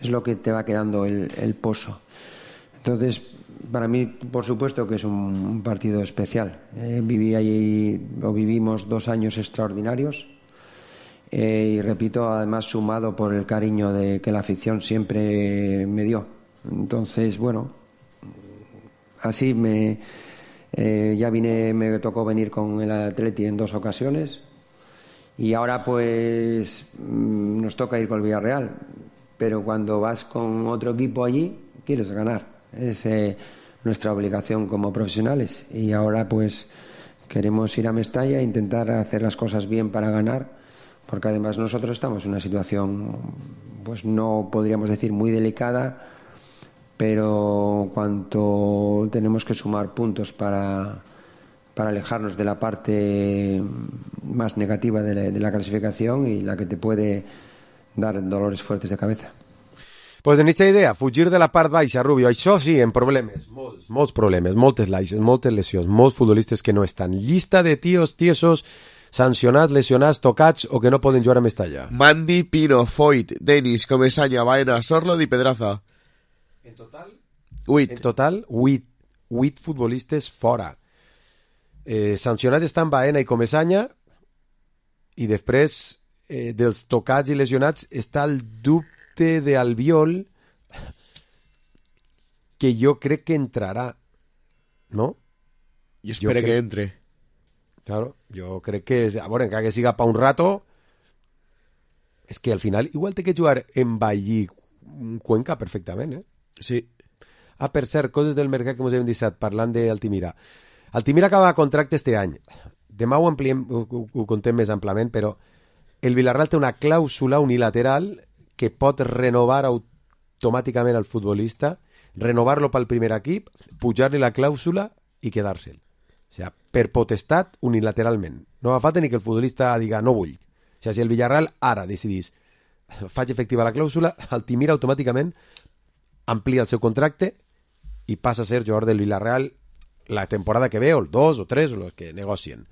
es lo que te va quedando el pozo. Entonces, para mí, por supuesto que es un partido especial. Vivimos 2 años extraordinarios y repito, además sumado por el cariño que la afición siempre me dio. Entonces, bueno, así me tocó venir con el Atleti en 2 ocasiones y ahora pues nos toca ir con el Villarreal, pero cuando vas con otro equipo allí quieres ganar, es nuestra obligación como profesionales, y ahora pues queremos ir a Mestalla e intentar hacer las cosas bien para ganar, porque además nosotros estamos en una situación pues no podríamos decir muy delicada, pero cuanto tenemos que sumar puntos para alejarnos de la parte más negativa de la clasificación y la que te puede dar dolores fuertes de cabeza. Pues en aquesta idea, fugir de la part baixa, Rubio, això sí, en problemes, molts problemes, moltes lesions, molts futbolistes que no estan. Llista de tios, tiesos, sancionats, lesionats, tocats o que no poden jugar a Mestalla. Mandy, Pino, Foyt, Denis, Comesaña, Baena, Sorlot i Pedraza. En total? 8. En total, 8 futbolistes fora. Sancionats estan Baena i Comesaña i després dels tocats i lesionats està el dubte de Albiol, que jo crec que entrarà, ¿no? I espero que entre. Claro, jo crec que, a veure, encara que siga pa un rato, és que al final igual té que jugar en Vallí Cuenca perfectament, Sí. Ah, per cert, coses del mercat que ens hem deixat parlant d'Altimira. Altimira acaba contracte este any. Demà ho ampliem, ho contem més amplament, però el Villarreal té una clàusula unilateral que pot renovar automàticament al futbolista, renovar-lo pel primer equip, pujar-li la clàusula i quedar-se'l. O sigui, per potestat unilateralment. No fa falta ni que el futbolista diga no vull. O sigui, si el Villarreal ara decidís faig efectiva la clàusula, Altimira automàticament amplia el seu contracte i passa a ser jugador del Villarreal la temporada que ve, o el 2 o 3, o el que negocien.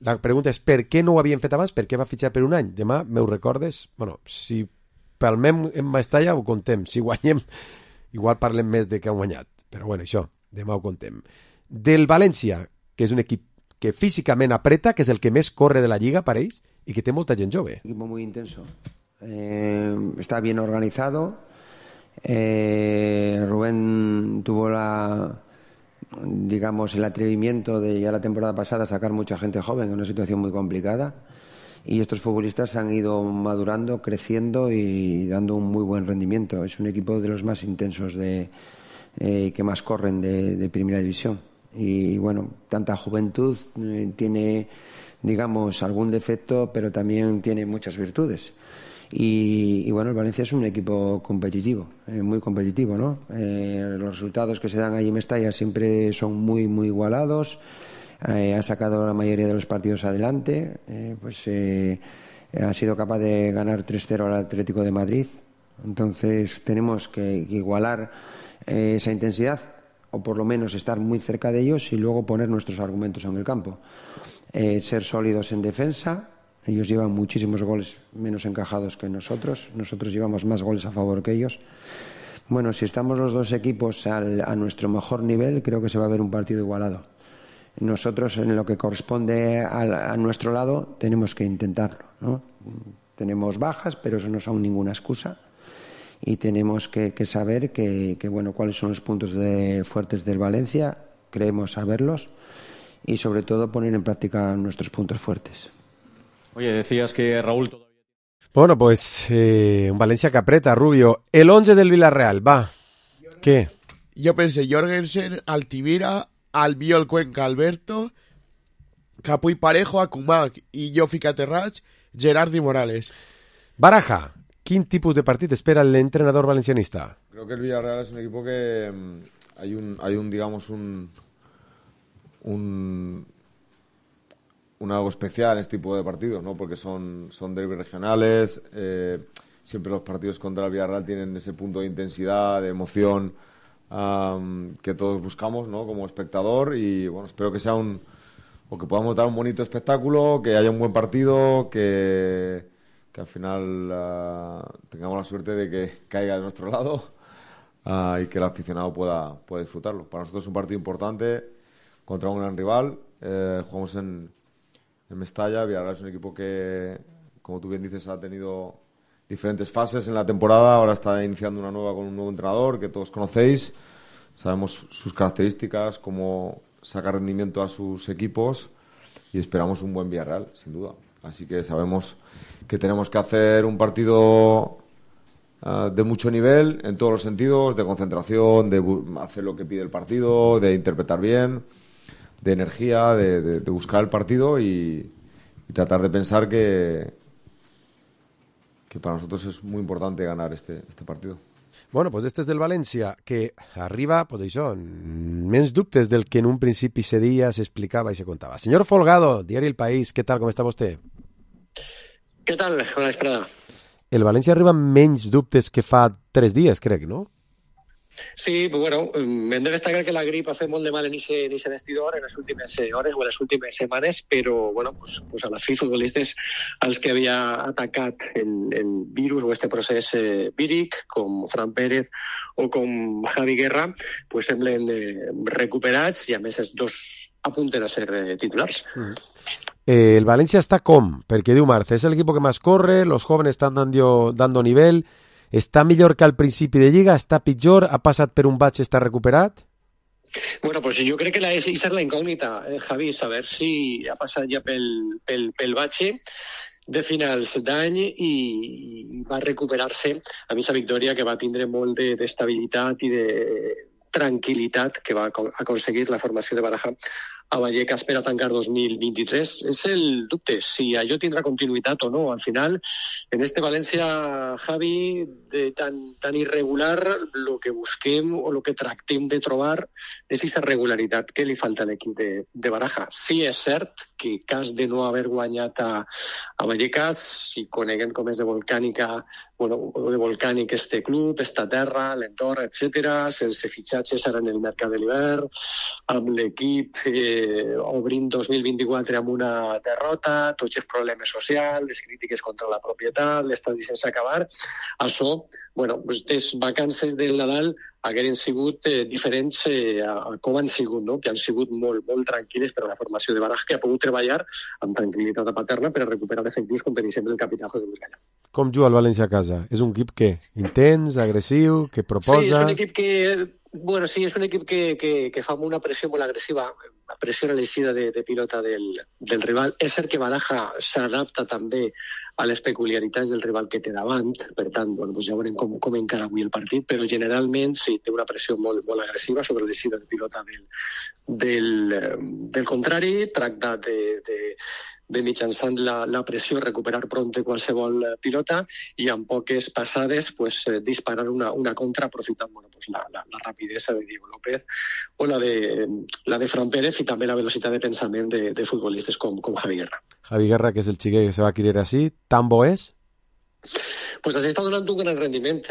La pregunta és per què no ho havien fet abans? Per què va fitxar per un any? Demà m'ho recordes? Bueno, si palmem en Mestalla ho contem. Si guanyem, igual parlem més de que han guanyat. Però bueno, això, demà ho contem. Del València, que és un equip que físicament apreta, que és el que més corre de la Lliga per ells i que té molta gent jove. Un equipo muy intenso. Está bien organizado. Rubén tuvo el atrevimiento de ya la temporada pasada sacar mucha gente joven en una situación muy complicada, y estos futbolistas han ido madurando, creciendo y dando un muy buen rendimiento. Es un equipo de los más intensos que más corren de primera división, y bueno, tanta juventud tiene, digamos, algún defecto, pero también tiene muchas virtudes. Y bueno, el Valencia es un equipo competitivo, muy competitivo, ¿no? Los resultados que se dan allí en Mestalla siempre son muy, muy igualados. Ha sacado la mayoría de los partidos adelante. Ha sido capaz de ganar 3-0 al Atlético de Madrid. Entonces tenemos que igualar esa intensidad, o por lo menos estar muy cerca de ellos y luego poner nuestros argumentos en el campo. Ser sólidos en defensa. Ellos llevan muchísimos goles menos encajados que nosotros. Nosotros llevamos más goles a favor que ellos. Bueno, si estamos los dos equipos a nuestro mejor nivel, creo que se va a ver un partido igualado. Nosotros, en lo que corresponde a nuestro lado, tenemos que intentarlo, ¿no? Tenemos bajas, pero eso no son ninguna excusa. Y tenemos que saber bueno, cuáles son los puntos fuertes del Valencia. Creemos saberlos. Y sobre todo poner en práctica nuestros puntos fuertes. Oye, decías que Raúl todavía... Bueno, pues un Valencia que apreta, Rubio. El 11 del Villarreal, va. ¿Qué? Yo pensé Jorgensen, Altimira, Albiol, Cuenca, Alberto, Capuy Parejo, Akumak y Jofi Caterrach, Gerard y Morales. Baraja, ¿qué tipo de partido espera el entrenador valencianista? Creo que el Villarreal es un equipo que hay algo especial en este tipo de partidos, ¿no? Porque son derbis regionales, siempre los partidos contra el Villarreal tienen ese punto de intensidad, de emoción que todos buscamos, ¿no? Como espectador, y bueno, espero que sea o que podamos dar un bonito espectáculo, que haya un buen partido, que al final tengamos la suerte de que caiga de nuestro lado y que el aficionado pueda disfrutarlo. Para nosotros es un partido importante contra un gran rival. Jugamos en Mestalla. Villarreal es un equipo que, como tú bien dices, ha tenido diferentes fases en la temporada. Ahora está iniciando una nueva con un nuevo entrenador que todos conocéis. Sabemos sus características, cómo saca rendimiento a sus equipos, y esperamos un buen Villarreal, sin duda. Así que sabemos que tenemos que hacer un partido de mucho nivel en todos los sentidos, de concentración, de hacer lo que pide el partido, de interpretar bien, de energía, de buscar el partido y tratar de pensar que para nosotros es muy importante ganar este partido. Bueno, pues este és del València, que arriba, pues això, menys dubtes del que en un principi se dia, se explicava i se contava. Señor Folgado, Diari El País, ¿qué tal? ¿Cómo está usted? ¿Qué tal? Bona vesprada. El València arriba amb menys dubtes que fa 3 dies, crec, no? Sí, pues bueno, hem de destacar que la grip ha fet molt de mal en ese vestidor en les últimes hores o en les últimes setmanes, però bueno, pues a la fi futbolistes als que havia atacat el virus o este procés víric, com Fran Pérez o com Javi Guerra, pues semblen recuperats i a més els dos apunten a ser titulars. El Valencia está porque diu Marce, es el equipo que más corre, los jóvenes están dando nivel, está millor que al principi de Lliga, està pitjor, ha passat per un batx, està recuperat? Bueno, pues jo crec que esa és la incògnita, Javi, saber si ha passat ja pel batxe de finals d'any i va recuperar-se a mi esa victòria que va tindre molt d'estabilitat i de tranquil·litat que va aconseguir la formació de Baraja a Vallecas per a tancar 2023. És el dubte, si allò tindrà continuïtat o no. Al final, en este València, Javi, tan irregular, lo que busquem o lo que tractem de trobar és aquesta regularitat que li falta a l'equip de Baraja. Sí, és cert que cas de no haver guanyat a Vallecas, si coneguem com és de volcànica, bueno, de volcànic este club, esta terra, l'entorn, etc., sense fitxatges ara en el mercat de l'hivern, amb l'equip obrint 2024 amb una derrota, tots els problemes socials, les crítiques contra la propietat, l'estadi sense acabar. Això, bueno, les vacances del Nadal hagueren sigut diferents a com han sigut, no? Que han sigut molt, molt tranquil·les per a la formació de Baraja, que ha pogut treballar amb tranquil·litat paterna per a recuperar efectius com per exemple el capità José Luis Gallà. Com juga el València a casa? És un equip que intens, agressiu, que proposa... Sí, és un equip que... Bueno, sí, és un equip que fa una pressió molt agressiva, pressiona l'eixida de pilota del rival. És cert que Baraja s'adapta també a les peculiaritats del rival que té davant, per tant, bueno, pues ja veurem com encara avui el partit, però generalment sí, té una pressió molt, molt agressiva sobre l'eixida de pilota del contrari, tracta de mitjançant la pressió recuperar prompte qualsevol pilota i amb poques passades pues, disparar una contra aprofitant bueno, pues, la rapidesa de Diego López o la de Fran Pérez i també la velocitat de pensament de futbolistes com Javi Guerra. Javi Guerra, que és el xiquet que se va querer així, tan bo és? Pues así està donant un gran rendiment,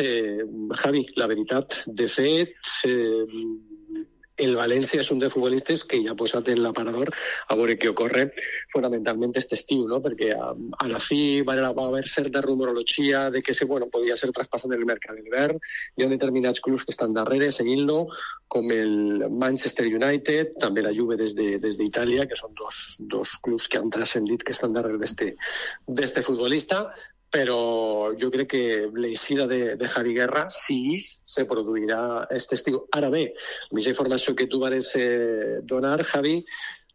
Javi, la veritat. De fet, el València és un de futbolistes que ja ha posat en l'aparador a veure què ocorre fonamentalment aquest estiu, no? Perquè a la fi va haver certa rumorologia de que podia ser traspassat en el mercat de l'hivern. Hi ha determinats clubs que estan darrere seguint-lo, com el Manchester United, també la Juve des d'Itàlia, que són dos clubs que han transcendit que estan darrere d'este futbolista. Però jo crec que l'eixida de Javi Guerra sí se produirà aquest estiu. Ara bé, la mitja informació que tu vas donar, Javi,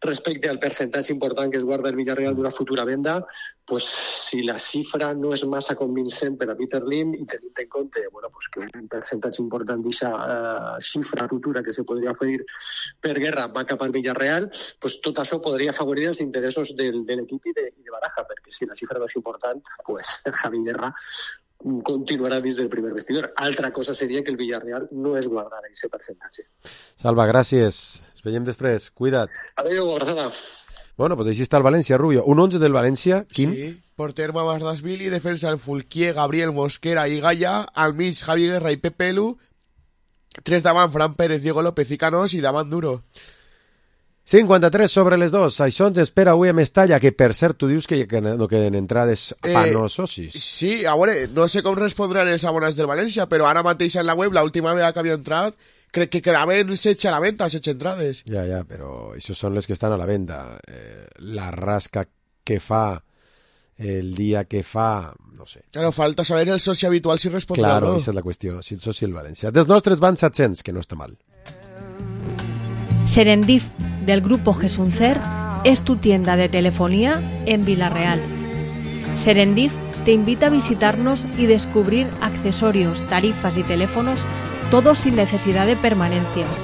respecte al percentatge important que es guarda el Villarreal d'una futura venda, pues, si la xifra no és massa convincent per a Peter Lim i tenint en compte pues, que un percentatge important d'aquesta xifra futura que se podria oferir per Guerra va cap al Villarreal, pues, tot això podria afavorir els interessos de l'equip i de Baraja, perquè si la xifra no és important, pues, Javi Guerra continuarà dins del primer vestidor. Altra cosa seria que el Villarreal no es guardara aquest percentatge. Salva, gràcies. Ens veiem després. Cuida't. Adéu, abraçada. Bueno, pues així està el València, Rubio. Un 11 del València, Quim? Sí, porter Mamasdashvili, defensa el Fulquier, Gabriel Mosquera i Gaya, al mig Javi Guerra i Pepe Lu, 3 davant Fran Pérez, Diego López i Canós, i davant Duro. 53 sobre les 2. Això ens espera avui a Mestalla, que per cert tu dius que no queden entrades per no socis. Sí, a veure, no sé com respondran els abonats del València, però ara mateix en la web, l'última vegada que havia entrat, crec que quedaven 16 a la venda, 16 entrades. Ja, però això són les que estan a la venda. La rasca que fa, el dia que fa, no sé. Claro, falta saber el soci habitual si respondrà claro, o no. Esa és la qüestió, si el soci el València. Dels nostres van 700, que no està mal. Serendip, del grupo Gesuncer, es tu tienda de telefonía en Villarreal. Serendip te invita a visitarnos y descubrir accesorios, tarifas y teléfonos, todo sin necesidad de permanencias.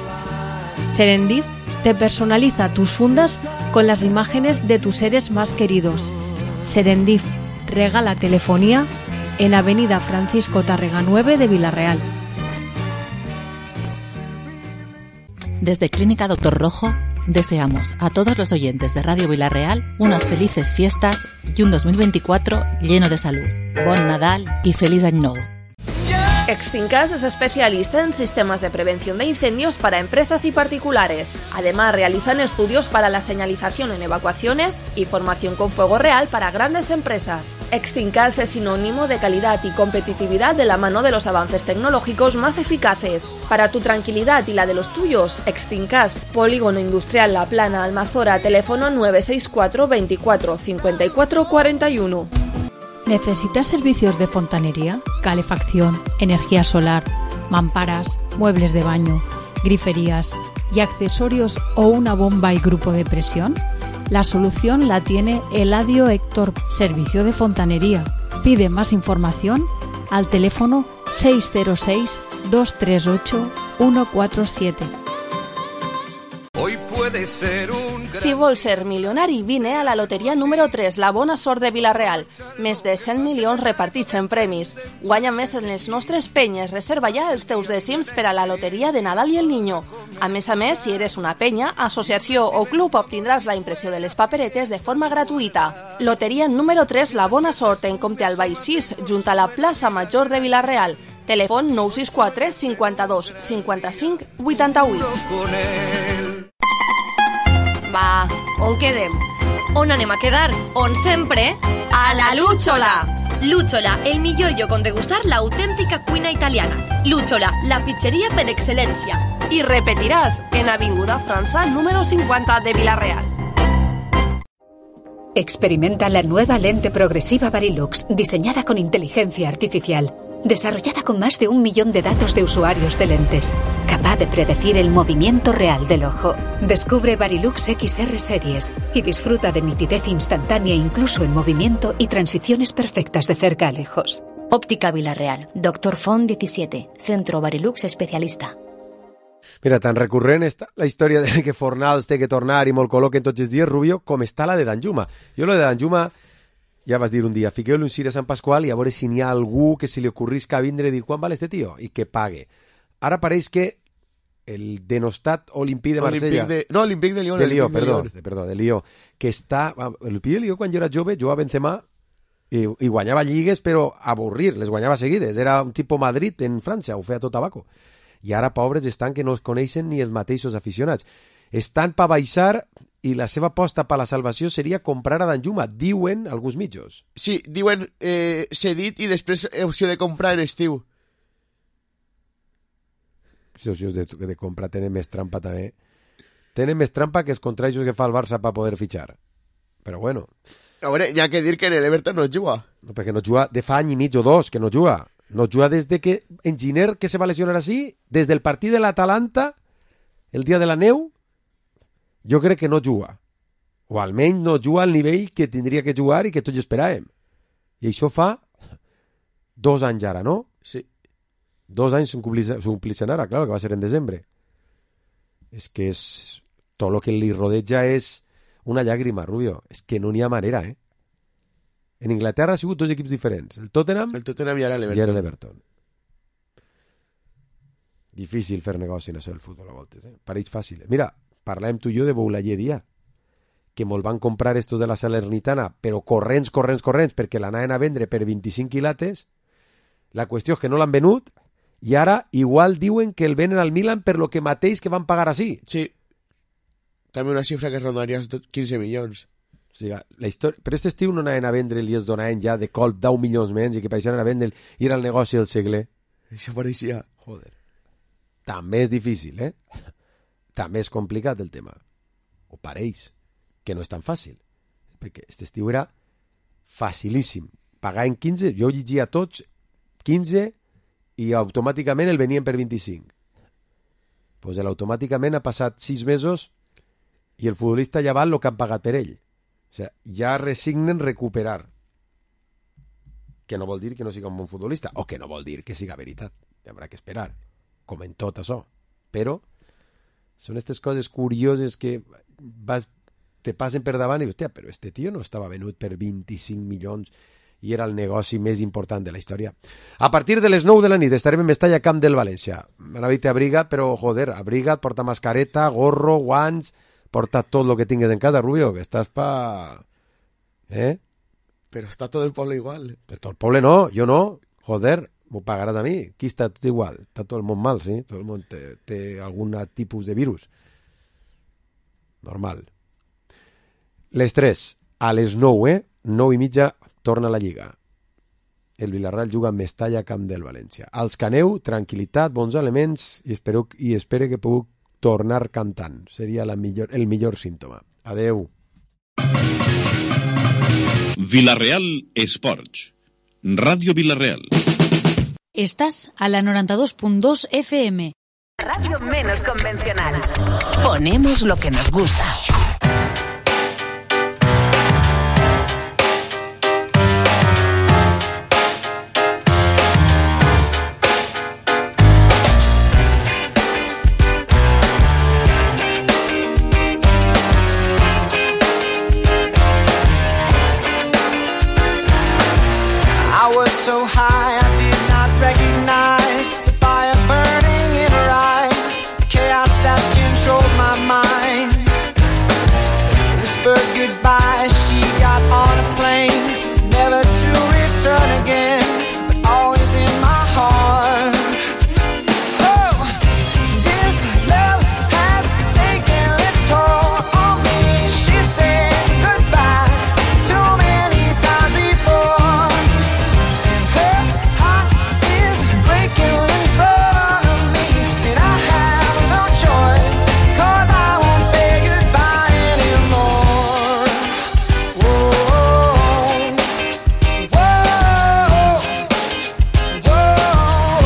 Serendip te personaliza tus fundas con las imágenes de tus seres más queridos. Serendip regala telefonía en Avenida Francisco Tárrega 9 de Villarreal. Desde Clínica Doctor Rojo deseamos a todos los oyentes de Radio Villarreal unas felices fiestas y un 2024 lleno de salud. Bon Nadal y feliz Any Nou. Extincas es especialista en sistemas de prevención de incendios para empresas y particulares. Además, realizan estudios para la señalización en evacuaciones y formación con fuego real para grandes empresas. Extincas es sinónimo de calidad y competitividad de la mano de los avances tecnológicos más eficaces. Para tu tranquilidad y la de los tuyos, Extincas, Polígono Industrial La Plana, Almazora, teléfono 964 24 54 41. ¿Necesitas servicios de fontanería, calefacción, energía solar, mamparas, muebles de baño, griferías y accesorios o una bomba y grupo de presión? La solución la tiene Eladio Héctor, servicio de fontanería. Pide más información al teléfono 606 238 147. Hoy puede ser un... Si vols ser milionari, vine a la loteria número 3, la bona sort de Vila-real. Més de 100 milions repartits en premis. Guanya més en les nostres penyes. Reserva ja els teus dècims per a la loteria de Nadal i el Niño. A més, si eres una penya, associació o club, obtindràs la impressió de les paperetes de forma gratuïta. Loteria número 3, la bona sort, en Comte Albay 6, junt a la plaça Major de Vila-real. Telèfon 964 52 55 88. Va, on quedem? On anem a quedar? On sempre? A la Lucciola! Lucciola, el millor lloc on degustar l'autèntica cuina italiana. Lucciola, la pizzeria per excel·lència. I repetiràs en Avinguda França número 50 de Vila-real. Experimenta la nueva lente progresiva Varilux, diseñada con inteligencia artificial, desarrollada con más de 1 millón de datos de usuarios de lentes, capaz de predecir el movimiento real del ojo. Descubre Varilux XR Series y disfruta de nitidez instantánea incluso en movimiento y transiciones perfectas de cerca a lejos. Óptica Vila-real, Dr. Font 17, Centro Varilux Especialista. Mira, tan recurrent està la història de que Fornals té que tornar i molt col·loquen tots els dies, Rubio, com està la de Danjuma. Jo lo de Danjuma, ja vas dir un dia, fiqueu-li un ciri a Sant Pasqual i a veure si n'hi ha algú que se li ocorrisca vindre i dir quan val este tio i que pague. Ara pareix que el denostat Olympique de Marsella... Olympique de Lió. De Lió, que està... L'Olympique de Lió, quan jo era jove, jugava Benzema i guanyava lligues, però a avorrir, les guanyava seguides. Era un tipus Madrid en França, ho feia tot tabaco. I ara, pobres, estan que no es coneixen ni els mateixos aficionats. Estan per baixar i la seva aposta per la salvació seria comprar a Danjuma, diuen alguns mitjos. Sí, diuen cedit i després opció de comprar en estiu. Els opcions de compra tenen més trampa també. Tenen més trampa que els contrajos que fa el Barça per poder fitxar. Però bueno. A veure, hi ha que dir que en l'Everton no juga. No, perquè no juga de fa any i mig o dos que no juga. No juga des de que Enginyer, que se va lesionar així, des del partit de l'Atalanta, el dia de la neu, jo crec que no juga. O almenys no juga al nivell que tindria que jugar i que tots esperàvem. I això fa 2 anys ara, no? Sí. 2 anys s'omplixen ara, clar, que va ser en desembre. És que és... Tot el que li rodeja és una llàgrima, Rubio. És que no n'hi ha manera, eh? En Inglaterra ha sigut 2 equips diferents. El Tottenham i ara l'Everton. Difícil fer negoci en això del futbol a voltes, eh? Pareix fàcil. Mira, parlàvem tu i jo de Boulaye Dia, que molt van comprar estos de la Salernitana, però corrents, perquè l'anaven a vendre per 25 quilates. La qüestió és que no l'han venut I ara igual diuen que el venen al Milan per lo que mateix que van pagar així. Sí. També una xifra que rondaria els 15 milions. O sigui, la història... Però aquest estiu no anaven a vendre i els donaven ja de colp 10 milions menys i que per això anaven a vendre i era el negoci del segle. Això pareixia. Joder. També és difícil, També és complicat el tema. O pareix que no és tan fàcil. Perquè aquest estiu era facilíssim. Pagar en 15, jo llegia tots 15 i automàticament el venien per 25. Pues automàticament ha passat 6 mesos i el futbolista ja val el que han pagat per ell. O sigui, ja resignen recuperar. Que no vol dir que no siga un bon futbolista, o que no vol dir que siga veritat. Haurà que esperar, com en tot això. Però són aquestes coses curioses que te passen per davant i dius, hòstia, però este tio no estava venut per 25 milions i era el negoci més important de la història. A partir de les 9 de la nit estarem en Mestalla, Camp del València. M'anava a dir abriga't, però joder, abriga't, porta mascareta, gorro, guants, porta tot el que tingues en casa, Rubio, que estàs pa... Però està tot el poble igual. Però tot el poble no, jo no. Joder, m'ho pagaràs a mi. Aquí està tot igual. Està tot el món mal, sí? Tot el món té algun tipus de virus. Normal. Les 3, a les 9, 9:30, torna la Lliga. El Villarreal juga a Mestalla, Camp del València. Als que aneu, tranquil·litat, bons elements i espero que pugueu tornar cantant. Seria el millor símptoma. Adeu. Villarreal Esports. Radio Villarreal. Estás a la 92.2 FM. Radio menos convencional. Ponemos lo que nos gusta. I was so high